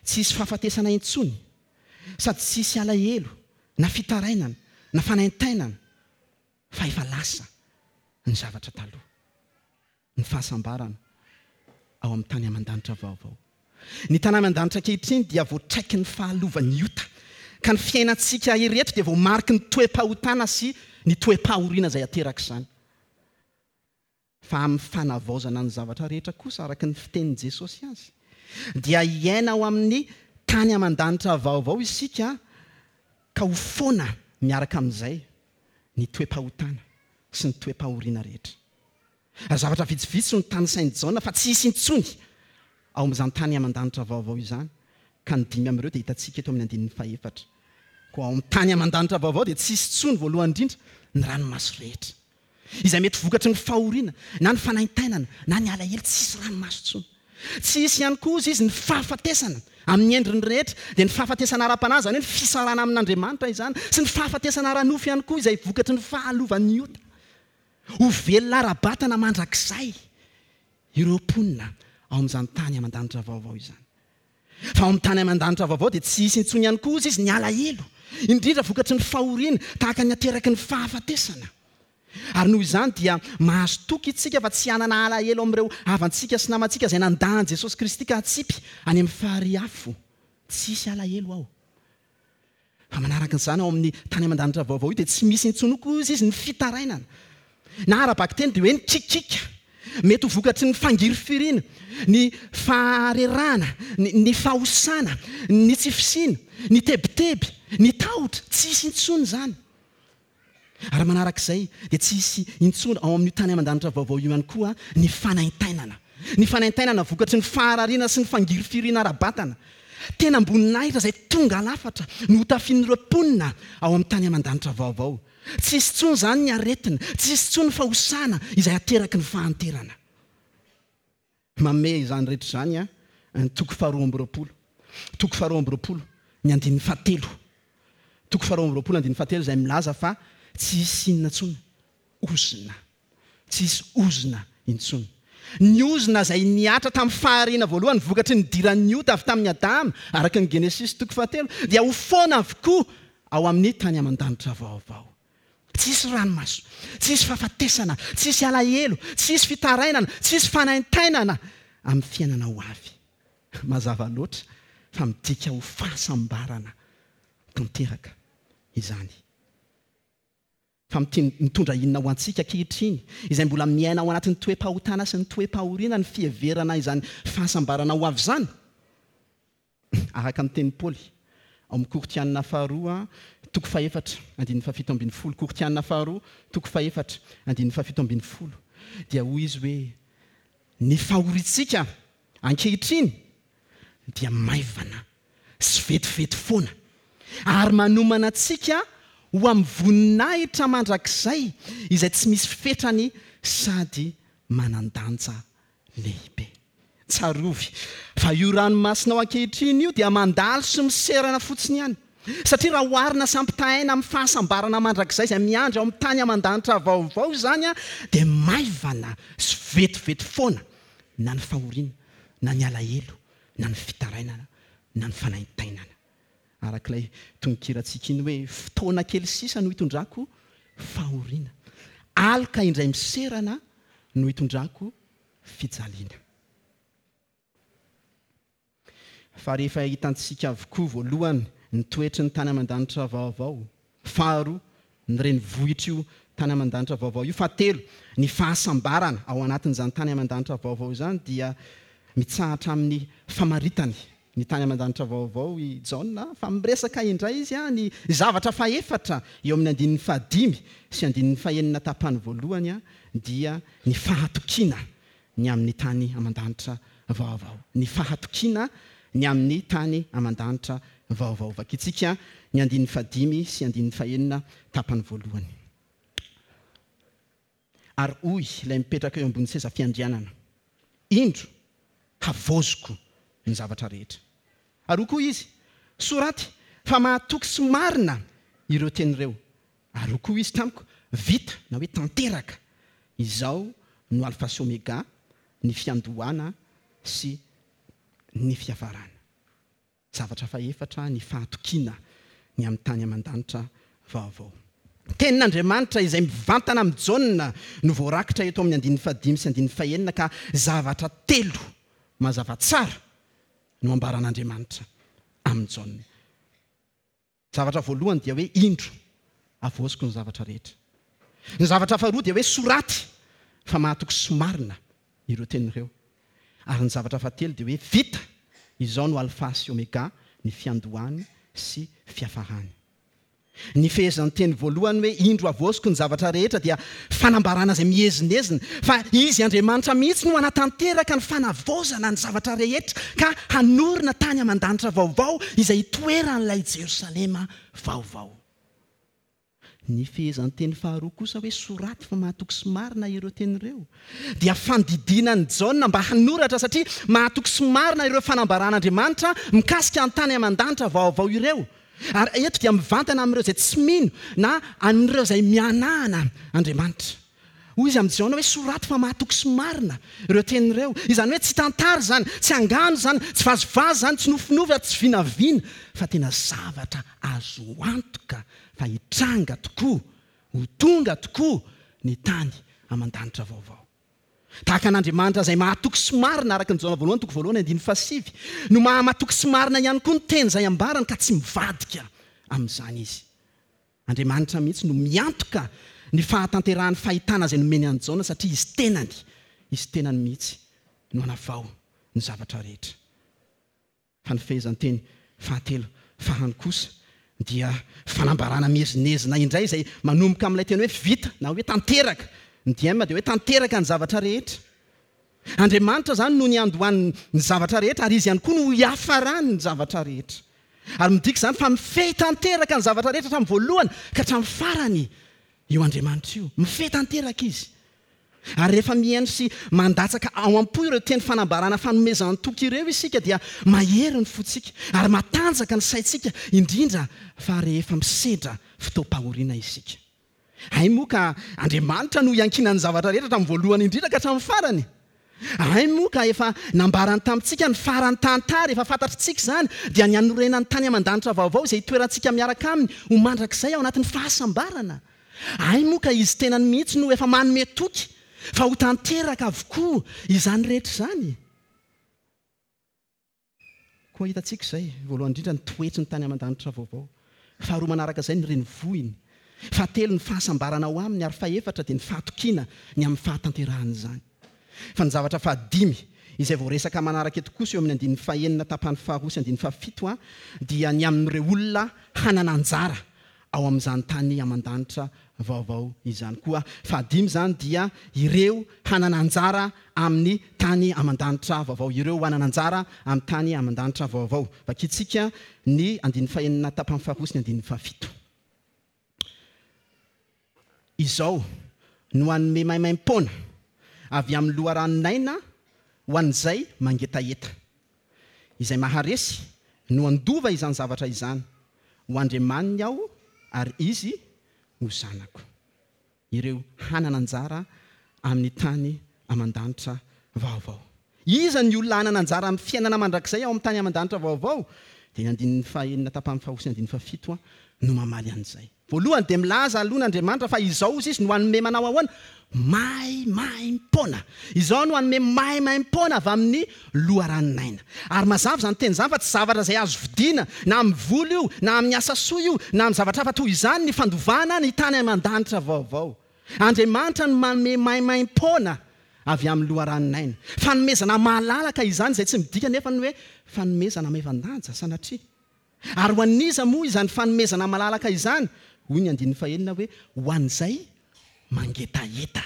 Tsy hisy fahafatesana intsony, sady tsy hisy alahelo na fitarainana na fanaintainana, fa efa lasa ny zavatra taloha. Ny fahasambarana ao amin'ny tany aman-danitra vaovao. Ny tany aman-danitra ankehitriny dia voatraiky ny fahalovan'ny ota, ka ny fiainantsika ireto dia voamariky ny toe-pahotana sy ny toe-pahoriana izay ateraka izany. Fa amin'ny fanavaozana ny zavatra rehetra kosa, araka ny fitenin'i Jesosy azy, dia hiaina ao amin'ny tany aman-danitra vaovao isika, ka ho foana miaraka amin'izay ny toe-pahotana sy ny toe-pahoriana rehetra. Ary zavatra vitsivitsy no tanisain'i Jaona fa tsy hisy intsony ao amin'izany tany aman-danitra vaovao izany, ka ny dimy amin'ireo dia hitantsika eto amin'ny andininy fahefatra. Koa ao amin'ny tany aman-danitra vaovao dia tsy hisy intsony voalohany indrindra ny ranomaso rehetra, izay mety vokatry ny fahoriana na ny fanaintainana na ny alahelo, tsy hisy ranomaso intsony. Tsy hisy ihany koa izy ny fahafatesana amin'ny endriny rehetra, dia ny fahafatesana ara-panahy, izany hoe ny fisarahana amin'Andriamanitra izany, sy ny fahafatesana ara-nofo ihany koa izay vokatry ny fahalovan'ny ota. Ho velona ara-batana mandrakizay ireo mponina ao amin'izany tany aman-danitra vaovao izany. Fa ao amin'ny tany aman-danitra vaovao dia tsy hisy intsony ihany koa izy ny alahelo, indrindra vokatry ny fahoriana tahaka ny ateraky ny fahafatesana. Ary noho izany dia mahazo toky isika fa tsy hanana alahelo amin'ireo havantsika sy namantsika izay nandà an'i Jesosy Kristy ka hatsipy any amin'ny farihy afo. Tsy hisy alahelo ao. Fa manaraka izany ao amin'ny tany aman-danitra vaovao io dia tsy misy intsony koa izy ny fitarainana. Na ara-bakiteny dia hoe ny kikika. Mety ho vokatry ny fangirifiriana, ny faharerahana, ny, ny fahosana, ny tsy fisiana, ny tebiteby, ny tahotra. Tsy hisy intsony izany. Ary manarak'izay dia tsy hisy intsony ao amin'io tany aman-danitra vaovao io ihany koa ny fanaintainana. Ny fanaintainana vokatry ny faharariana sy ny fangirifiriana ara-batana. Tena amboninahitra izay tonga lafatra no hotafian'ireo mponina ao amin'ny tany aman-danitra vaovao. Tsy hisy intsony izany ny aretina, tsy hisy intsony ny fahosana izay ateraky ny fahanterana. Mamehy izany rehetra izany ny toko faharoa amby roapolo. Toko faharoa amby roapolo, ny andininy fahatelo. Toko faharoa amby roapolo andininy fahatelo izay milaza fa tsy hisy inona intsony ozona. Tsy hisy ozona intsony. Ny ozona izay nihatra tamin'ny fahariana voalohany vokatry ny nidiran'ny ota avy tamin'ny Adama, araka ny Genesisy toko fahatelo, dia ho foana avokoa ao amin'ny tany aman-danitra vaovao. Tsy hisy ranomaso, tsy hisy fahafatesana, tsy hisy alahelo, tsy hisy fitarainana, tsy hisy fanaintainana amin'ny fiainana ho avy. Mazava loatra fa midika ho fahasambarana tanteraka izany. Fa mitondra inona ho antsika ankehitriny, izay mbola miaina ao anatin'ny toe-pahotana sy ny toe-pahoriana ny fiheverana izany fahasambarana ho avy izany? Araka ny tenin'i Paoly ao amin'ny Korintiana faharoa toko fahefatra andininy fahafito ambin'ny folo, Korintiana faharoa toko fahefatra andininy fahafito ambin'ny folo, dia hoy izy hoe ny fahoriantsika ankehitriny dia maivana sy vetivety foana ary manomana antsika ho amin'ny voninahitra mandrakizay izay tsy misy fetrany sady manan-danja lehibe. Tsarovy fa io ranomasinao ankehitriny io dia mandalo sy miserana fotsiny ihany. Satria raha oharina sy ampitahaina amin'ny fahasambarana mandrakizay izay miandry ao amin'ny tany aman-danitra vaovao izany dia maivana sy vetivety foana na ny fahoriana, na ny alahelo, na ny fitarainana, na ny fanaintainana. Arak'ilay tononkirantsika iny hoe fotoana kely sisa no hitondrako fahoriana, aloka indray miserana no hitondrako fijaliana. Fa rehefa hitantsika avokoa voalohany ny toetry ny tany aman-danitra vaovao, faharoa ny renivohitra io tany aman-danitra vaovao io, fahatelo ny fahasambarana ao anatin'izany tany aman-danitra vaovao izany, dia mitsahatra amin'ny famaritany ny tany aman-danitra vaovao i Jaona, fa miresaka indray izy ny zavatra fahefatra eo amin'ny andininy fahadimy sy andininy fahenina tapany voalohany, dia ny fahatokiana ny amin'ny tany aman-danitra vaovao. Ny fahatokiana ny amin'ny tany aman-danitra vaovao. Vakitsika ny andininy fahadimy sy andininy fahenina tapany voalohany. Ary hoy ilay mipetraka eo ambony seza fiandrianana: indro havaoziko ny zavatra rehetra. Ary hoy koa izy: soraty fa mahatoky sy marina ireo teny ireo. Ary hoy koa izy tamiko: vita na hoe tanteraka. Izao no alfa sy omega, ny fiandohana sy ny fiafarana. Zavatra fahefatra, ny fahatokiana ny amin'ny tany aman-danitra vaovao. Tenin'Andriamanitra izay mivantana amin'i Jaona no voarakitra eto amin'ny andininy fahadimy sy andininy fahenina, ka zavatra telo mazava tsara no ambaran'Andriamanitra amin'i Jaona. Zavatra voalohany dia hoe indro havaoziko ny zavatra rehetra. Ny zavatra faharoa dia hoe soraty fa mahatoky sy marina ireo teny ireo. Ary ny zavatra fahatelo dia hoe vita, izao no alfa sy omega, ny fiandohany sy fiafarany. Ny fehezanteny voalohany hoe indro havaoziko ny zavatra rehetra dia fanambarana izay miezinezina fa izy Andriamanitra mihitsy no hanatanteraka ny fanavaozana ny zavatra rehetra ka hanorina tany aman-danitra vaovao izay hitoeran'ilay Jerosalema vaovao. Ny fehezanteny faharoa kosa hoe soraty fa mahatoky sy marina ireo teny ireo dia fandidiana an'i Jaona mba hanoratra, satria mahatoky sy marina ireo fanambaran'Andriamanitra mikasika ny tany aman-danitra vaovao ireo. Ary eto dia mivantana amin'ireo izay tsy mino na amin'ireo izay mianahana Andriamanitra. Hoy izy amin'i Jaona hoe soraty fa mahatoky sy marina ireo teny ireo. Izany hoe tsy tantara izany, tsy angano izany, tsy vazivazy izany, tsy nofinofy ary tsy vinavina, fa tena zavatra azo antoka fa hitranga tokoa, ho tonga tokoa ny tany aman-danitra vaovao. Tahaka an'Andriamanitra izay mahatoky sy marina, araka ny Jaona voalohany toko voalohany andininy fahasivy, no mahamatoky sy marina ihany koa ny teny izay ambarany ka tsy mivadika amin'izany izy. Andriamanitra mihitsy no miantoka ny fahatanterahan'ny fahitana izay nomeny an'i Jaona, satria izy tenany, izy tenany mihitsy no hanavao ny zavatra rehetra. Fa ny fehezanteny fahatelo farany kosa dia fanambarana miezinezina indray izay manomboka amin'ilay teny hoe vita na hoe tanteraka. Ny diem dia hoe tanteraka ny zavatra rehetra. Andriamanitra izany no niandohany ny zavatra rehetra ary izy ihany koa no hiafarany ny zavatra rehetra. Ary midika izany fa mifehy tanteraka ny zavatra rehetra hatramin'ny voalohany ka hatramin'ny farany io Andriamanitra io. Mifehy tanteraka izy. Ary rehefa mihaino sy mandatsaka ao am-po ireo teny fanambarana fanomezan-toky ireo isika dia mahery ny fontsika ary matanjaka ny saintsika, indrindra fa rehefa misedra fotoam-pahoriana isika. Hay moa ka Andriamanitra no iankinan'ny zavatra rehetra hatramin'ny voalohany indrindra ka hatramin'ny farany. Hay moa ka efa nambarany tamintsika ny farany tantara, efa fantatritsika izany, dia ny hanorenany tany aman-danitra vaovao izay hitoerantsika miaraka aminy ho mandrakizay ao anatin'ny fahasambarana. Hay moa ka izy tenany mihitsy no efa manome toky fa ho tanteraka avokoa izany rehetra izany. Koa hitantsika izay, voalohany indrindra ny toetry ny tany aman-danitra vaovao, faharoa manaraka izay ny renivohiny, fahatelo ny fahasambarana ao aminy, ary fahefatra dia ny fahatokiana ny amin'ny fahatanterahan'izany. Fa ny zavatra fahadimy izay voaresaka manaraka eto kosa eo amin'ny andininy fahenina tapany faharoa sy andininy fahafito a dia ny amin'ireo olona hanana anjara ao amin'izany tany aman-danitra vaovao izany. Koa fahadimy izany dia ireo hanana anjara amin'ny tany aman-danitra vaovao, ireo hanana anjara amin'ny tany aman-danitra vaovao. Vakitsika ny andininy fahenina tapany faharoa sy ny andininy fahafito. Izao no hanome maimaim-poana avy amin'ny loharanon'aina ho an'izay mangetaheta. Izay maharesy no handova izany zavatra izany. Ho Andriamaniny aho ary izy ho zanako. Ireo hanana anjara amin'ny tany aman-danitra vaovao. Iza ny olona hanana anjara amin'ny fiainana mandrakizay ao amin'ny tany aman-danitra vaovao? Dia ny andininy fahenina tapany faharoa sy ny andininy fahafito no mamaly an'izay. Voalohany dia milaza aloha Andriamanitra fa izao izy izy no hanome manao ahoana? Maimaim-poana. Izao no hanome maimaim-poana avy amin'ny loharanon'aina. Ary mazava izany teny izany fa tsy zavatra izay azo vidiana na amin'ny vola io, na amin'ny asa soa io, na amin'ny zavatra hafa toy izany ny fandovana ny tany aman-danitra vaovao. Andriamanitra no manome maimaim-poana avy amin'ny loharanon'aina. Fanomezana malalaka izany izay tsy midika nefa ny hoe fanomezana maivan-danja sanatria. Ary ho an'iza moa izany fanomezana malalaka izany? Hoy ny andininy fahenina hoe ho an'izay mangetaheta.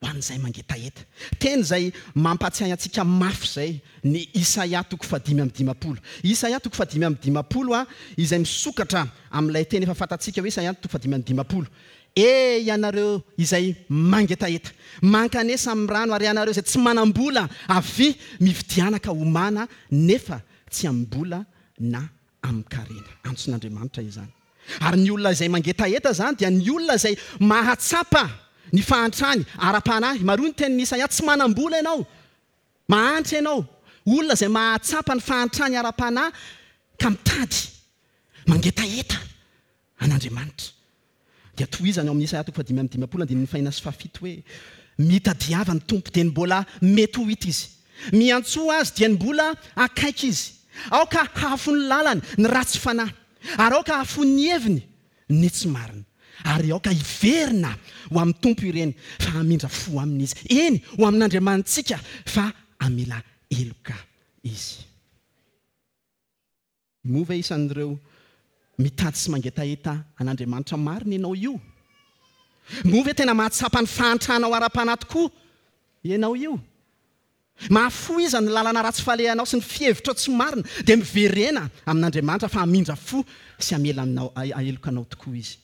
Ho an'izay mangetaheta. Teny izay mampatsiahy antsika mafy izay ny Isaia toko fahadimy amby dimampolo. Isaia toko fahadimy amby dimampolo a, izay misokatra amin'ilay teny efa fantatsika hoe Isaia toko fahadimy amby dimampolo. E ianareo izay mangetaheta, mankanesa amin'ny rano, ary ianareo izay tsy manam-bola, avia mividiana ka homana, nefa tsy amim-bola na amin-karena. Antson'Andriamanitra izany. Ary ny olona izay mangetaheta izany dia ny olona izay mahatsapa ny fahantrany ara-panahy. Maroa ny tenin'i Isaia, tsy manam-bola ianao, mahantra ianao. Olona izay mahatsapa ny fahantrany ara-panahy ka mitady, mangetaheta an'Andriamanitra. Dia tohizany ao amin'ny Isaia toko fahadimy amby dimampolo andininy fahenina sy fahafito hoe mitadiava ny Tompo dia ny mbola mety ho hita izy. Miantsoa azy dia ny mbola akaiky izy. Aoka hahafoy ny lalany ny ratsy fanahy, ary aoka hahafoy ny heviny ny tsy marina. Ary aoka hiverina ho amin'ny Tompo ireny fa hamindra fo aminy izy. Eny, ho amin'Andriamanitsika fa hamela heloka izy. Moa ve isan'ireo mitady sy mangetaheta an'Andriamanitra marina ianao io? Moa ve tena mahatsapa ny fahantranao ara-panahy tokoa ianao io? Mahafoy iza ny lalana ratsy falehanao sy ny fihevitrao tsy marina, dia miverena amin'Andriamanitra fa hamindra fo sy hamela anao, heloka anao tokoa izy.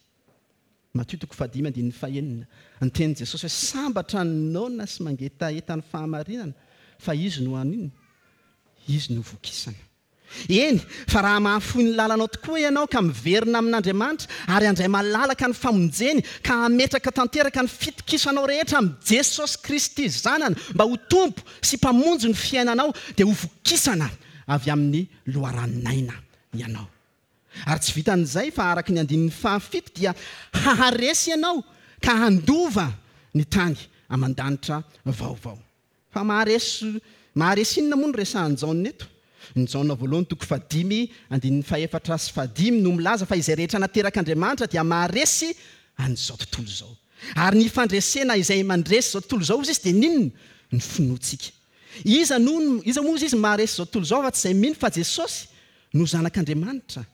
Matio toko fahadimy andininy fahenina, ny tenin'i Jesosy hoe sambatra ny noana sy mangetaheta ny fahamarinana, fa izy no haninona? Izy no vokisana. Eny, fa raha mahafoy ny lalanao tokoa ianao ka miverina amin'Andriamanitra ary handray malalaka ny famonjeny ka hametraka tanteraka ny fitokisanao rehetra amin'i Jesosy Kristy Zanany mba ho Tompo sy Mpamonjy ny fiainanao, dia ho vokisana avy amin'ny loharanon'aina ianao. Ary tsy vitan'izay fa araka ny andininy fahafito dia haharesy ianao ka handova ny tany aman-danitra vaovao. Fa maharesy, maharesy inona moa no resahan'i Jaona eto? Ny Jaona voalohany toko fahadimy andininy fahefatra sy fahadimy no milaza fa izay rehetra naterak'Andriamanitra dia maharesy an'izao tontolo izao. Ary ny fandresena izay mandresy izao tontolo izao izy dia n'inona? Ny finoantsika. Iza no, iza moa izy maharesy izao tontolo izao fa tsy izay mino fa Jesosy no zanak'Andriamanitra.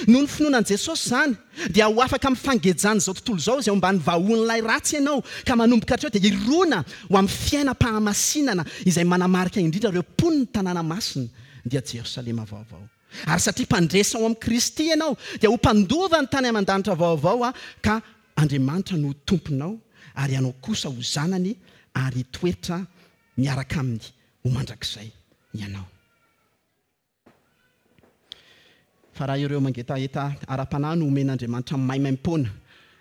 Noho ny finoana an'i Jesosy izany dia ho afaka amin'ny fangejana izao tontolo izao izay ao ambany vahoan'ilay ratsy ianao, ka manomboka hatreo dia hirona ho amin'ny fiainam-pahamasinana izay manamarika indrindra ireo mponin'ny tanàna masina dia Jerosalema vaovao. Ary satria mpandresy ao amin'i Kristy ianao dia ho mpandova ny tany aman-danitra vaovao a, ka Andriamanitra no tomponao ary ianao kosa ho zanany ary hitoetra miaraka aminy ho mandrakizay ianao. Fa raha ireo mangetaheta ara-panahy no omen'Andriamanitra maimaim-poana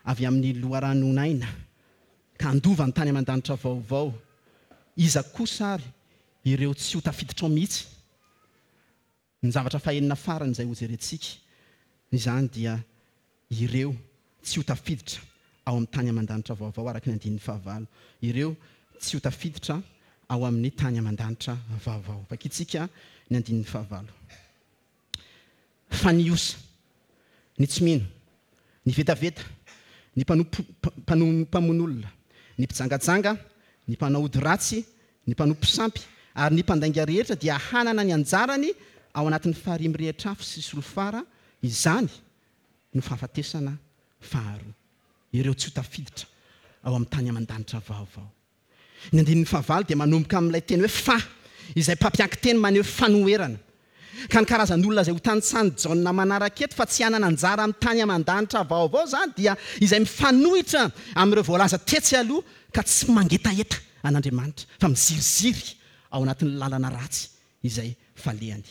avy amin'ny loharanon'aina ka handova ny tany aman-danitra vaovao, iza kosa ary ireo tsy ho tafiditra ao mihitsy? Ny zavatra fahenina farany izay hojerentsika izany dia ireo tsy ho tafiditra ao amin'ny tany aman-danitra vaovao araka ny andininy fahavalo. Ireo tsy ho tafiditra ao amin'ny tany aman-danitra vaovao. Vakintsika ny andininy fahavalo. Fa ny osa, ny tsy mino, ny vetaveta, ny mpanompo, mpamono olona, ny mpijangajanga, ny mpanao ody ratsy, ny mpanompo sampy ary ny mpandainga rehetra dia hanana ny anjarany ao anatin'ny farihy mirehitra afo sy solifara. Izany no fahafatesana faharoa. Ireo tsy ho tafiditra ao amin'ny tany aman-danitra vaovao. Ny andininy fahavalo dia manomboka amin'ilay teny hoe fa, izay mpampiankin-teny maneho fanoherana. Ka ny karazan'olona izay ho tanisan'i Jaona manaraka eto fa tsy hanana anjara amin'ny tany aman-danitra vaovao izany dia izay mifanohitra amin'ireo voalaza tetsy aloha ka tsy mangetaheta an'Andriamanitra fa miziriziry ao anatin'ny lalana ratsy izay falehany.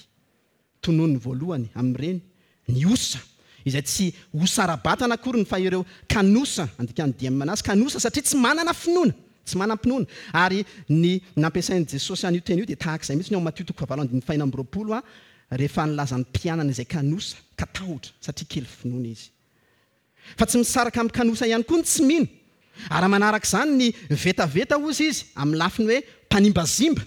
Tononiny voalohany amin'ireny ny osa, izay tsy osa ara-batana akory ny fa ireo kanosa, andikan'ny D M anazy, kanosa satria tsy manana finoana, tsy manam-pinoana. Ary ny nampiasain'i Jesosy an'io teny io dia tahaka izay mihitsy ny ao Matio toko fahavalo andininy fahenina amby roapolo a, rehefa nilazan'ny mpianany izay kanosa ka tahotra satria kely finoana izy. Fa tsy misaraka amin'ny kanosa ihany koa ny tsy mino. Ary manaraka izany ny vetaveta hozy izy amin'ny lafiny hoe mpanimbazimba.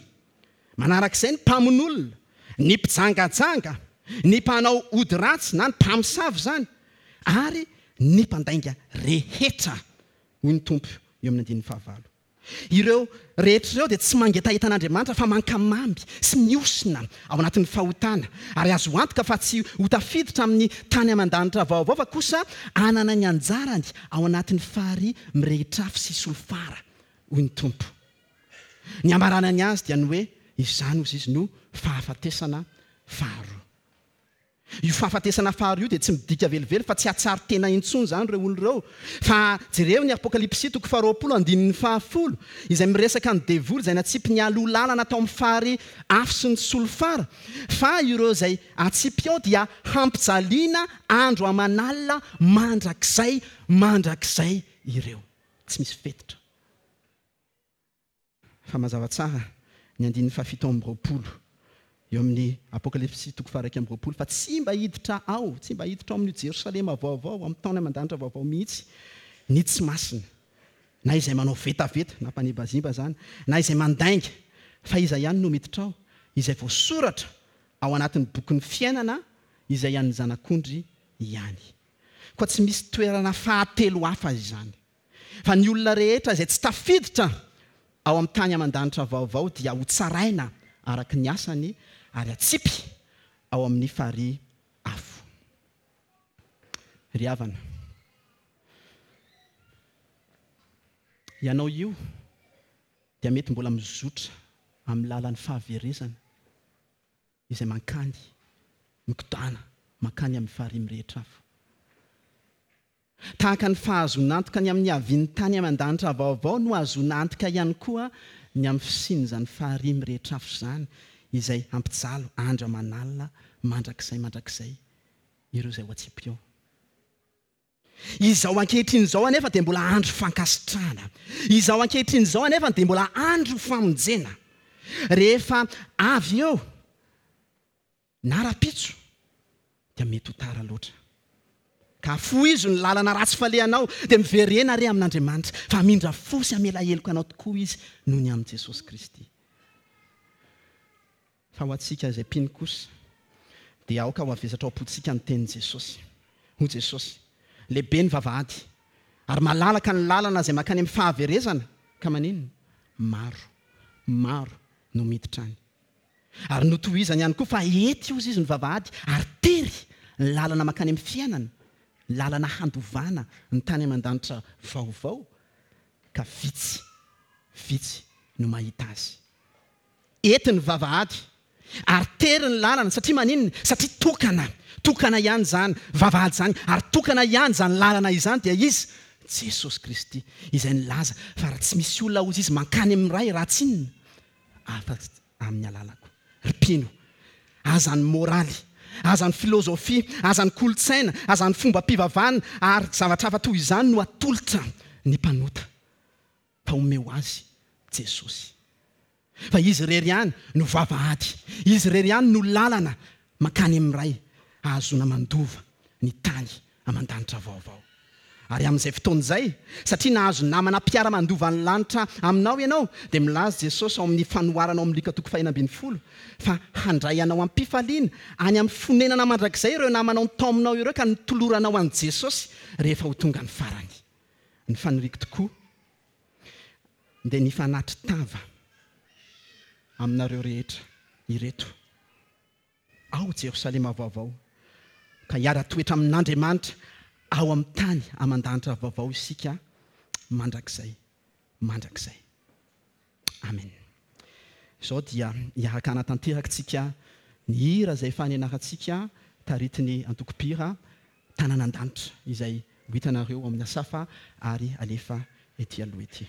Manaraka izay ny mpamono olona, ny mpijangajanga, ny mpanao ody ratsy na ny mpamosavy izany, ary ny mpandainga rehetra, hoy ny Tompo eo amin'ny andininy fahavalo. Ireo rehetra ireo dia tsy mangetaheta an'Andriamanitra fa mankamamy sy mihosina ao anatin'ny fahotana, ary azo antoka fa tsy ho tafiditra amin'ny tany aman-danitra vaovao fa kosa hanana ny anjarany ao anatin'ny farihy mirehitra afo sy solifara, hoy ny Tompo. Ny hamaranany azy dia ny hoe izany hozy izy no fahafatesana faharoa. Io fahafatesana faharoa io dia tsy midika velively fa tsy hahatsiaro tena intsony izany ireo olona ireo. Fa jereo ny Apokalypsy toko faharoapolo andininy fahafolo, izay miresaka ny devoly izay natsipy nialoha lalana tao amin'ny farihy afo sy ny solifara, fa ireo izay atsipy ao dia hampijaliana andro aman'alina mandrakizay mandrakizay ireo. Tsy misy fetitra. Fa mazava tsara ny andininy fahafito amby roapolo eo amin'ny Apokalypsy toko faha-iraika amby roapolo, fa tsy mba hiditra ao, tsy mba hiditra ao amin'io Jerosalema vaovao, amin'ny tany aman-danitra vaovao mihitsy, ny tsy masina, na izay manao vetaveta, na mpanibazimba izany, na izay mandainga, fa iza ihany no miditra ao, izay voasoratra ao anatin'ny bokin'ny fiainana, izay an'ny zanak'ondry ihany. Koa tsy misy toerana fahatelo hafa izany. Fa ny olona rehetra izay tsy tafiditra ao amin'ny tany aman-danitra vaovao dia ho tsaraina araka ny asany ary atsipy ao amin'ny farihy afo. Ry havana, ianao io dia mety mbola mizotra amin'ny lalan'ny fahaverezana izay mankany, mikodana, mankany amin'ny farihy mirehitra afo. Tahaka ny fahazoana antoka ny amin'ny havian'ny tany aman-danitra vaovao no ahazoana antoka ihany koa ny amin'ny fisian'izany farihy mirehitra afo izany, izay hampijalo andro aman'alina mandrakizay mandrakizay ireo izay ho atsipy eo. Izao ankehitriny izao anefa dia mbola andro fankasitrahana. Izao ankehitriny izao anefa dia mbola andro famonjena. Rehefa avy eo na rahampitso dia mety ho tara loatra. Ka afoizo ny lalana ratsy falehanao dia miverena re amin'Andriamanitra, fa hamindra fo sy hamela heloka anao tokoa izy noho ny amin'i Jesosy Kristy. Fa ho antsika izay mpino kosa dia aoka ho avesatra ao am-pontsika ny tenin'i Jesosy. Hoy Jesosy, lehibe ny vavahady ary malalaka ny lalana izay mankany amin'ny fahaverezana, ka maninona? Maro, maro no miditra any. Ary notohizany ihany koa fa ety hozy izy ny vavahady ary tery ny lalana mankany amin'ny fiainana, lalana handovana ny tany aman-danitra vaovao, ka vitsy, vitsy no mahita azy. Ety ny vavahady ary tery ny lalana, satria maninona? Satria tokana, tokana ihany izany vavahady izany, ary tokana ihany izany lalana izany, dia izy Jesosy Kristy, izay nilaza fa raha tsy misy olona hozy izy mankany amin'ny Ray raha tsy inona afa-tsy amin'ny alalako. Ry mpino, aza ny moraly, aza ny filozofia, aza ny kolontsaina, aza ny fombam-pivavahana ary zavatra hafa toy izany no atolotra ny mpanota, fa omeo azy Jesosy. Fa izy irery ihany no vavahady, izy irery ihany no lalana mankany amin'ny Ray ahazoana mandova ny tany aman-danitra vaovao. Ary amin'izay fotoana izay, satria nahazo namana mpiara-mandova ny lanitra aminao ianao, dia milaza Jesosy ao amin'ny fanoharana ao amin'ny Lioka toko fahenina ambin'ny folo fa handray anao am-pifaliana any amin'ny fonenana mandrakizay ireo namanao nitaominao ireo ka nitoloranao an'i Jesosy rehefa ho tonga ny farany. Ny faniriako tokoa dia ny fanatri-tava aminareo rehetra ireto ao Jerosalema vaovao, ka hiara-toetra amin'Andriamanitra ao amin'ny tany aman-danitra vaovao isika mandrakizay, mandrakizay. Amen. Izao dia hiaraka hanatanteraka tsika Ny hira izay efa nianarantsika taritin'ny antoko-mpihira Tanàna an-danitra izay ho hitanareo ao amin'ny Asafa ary alefa ety aloha ety.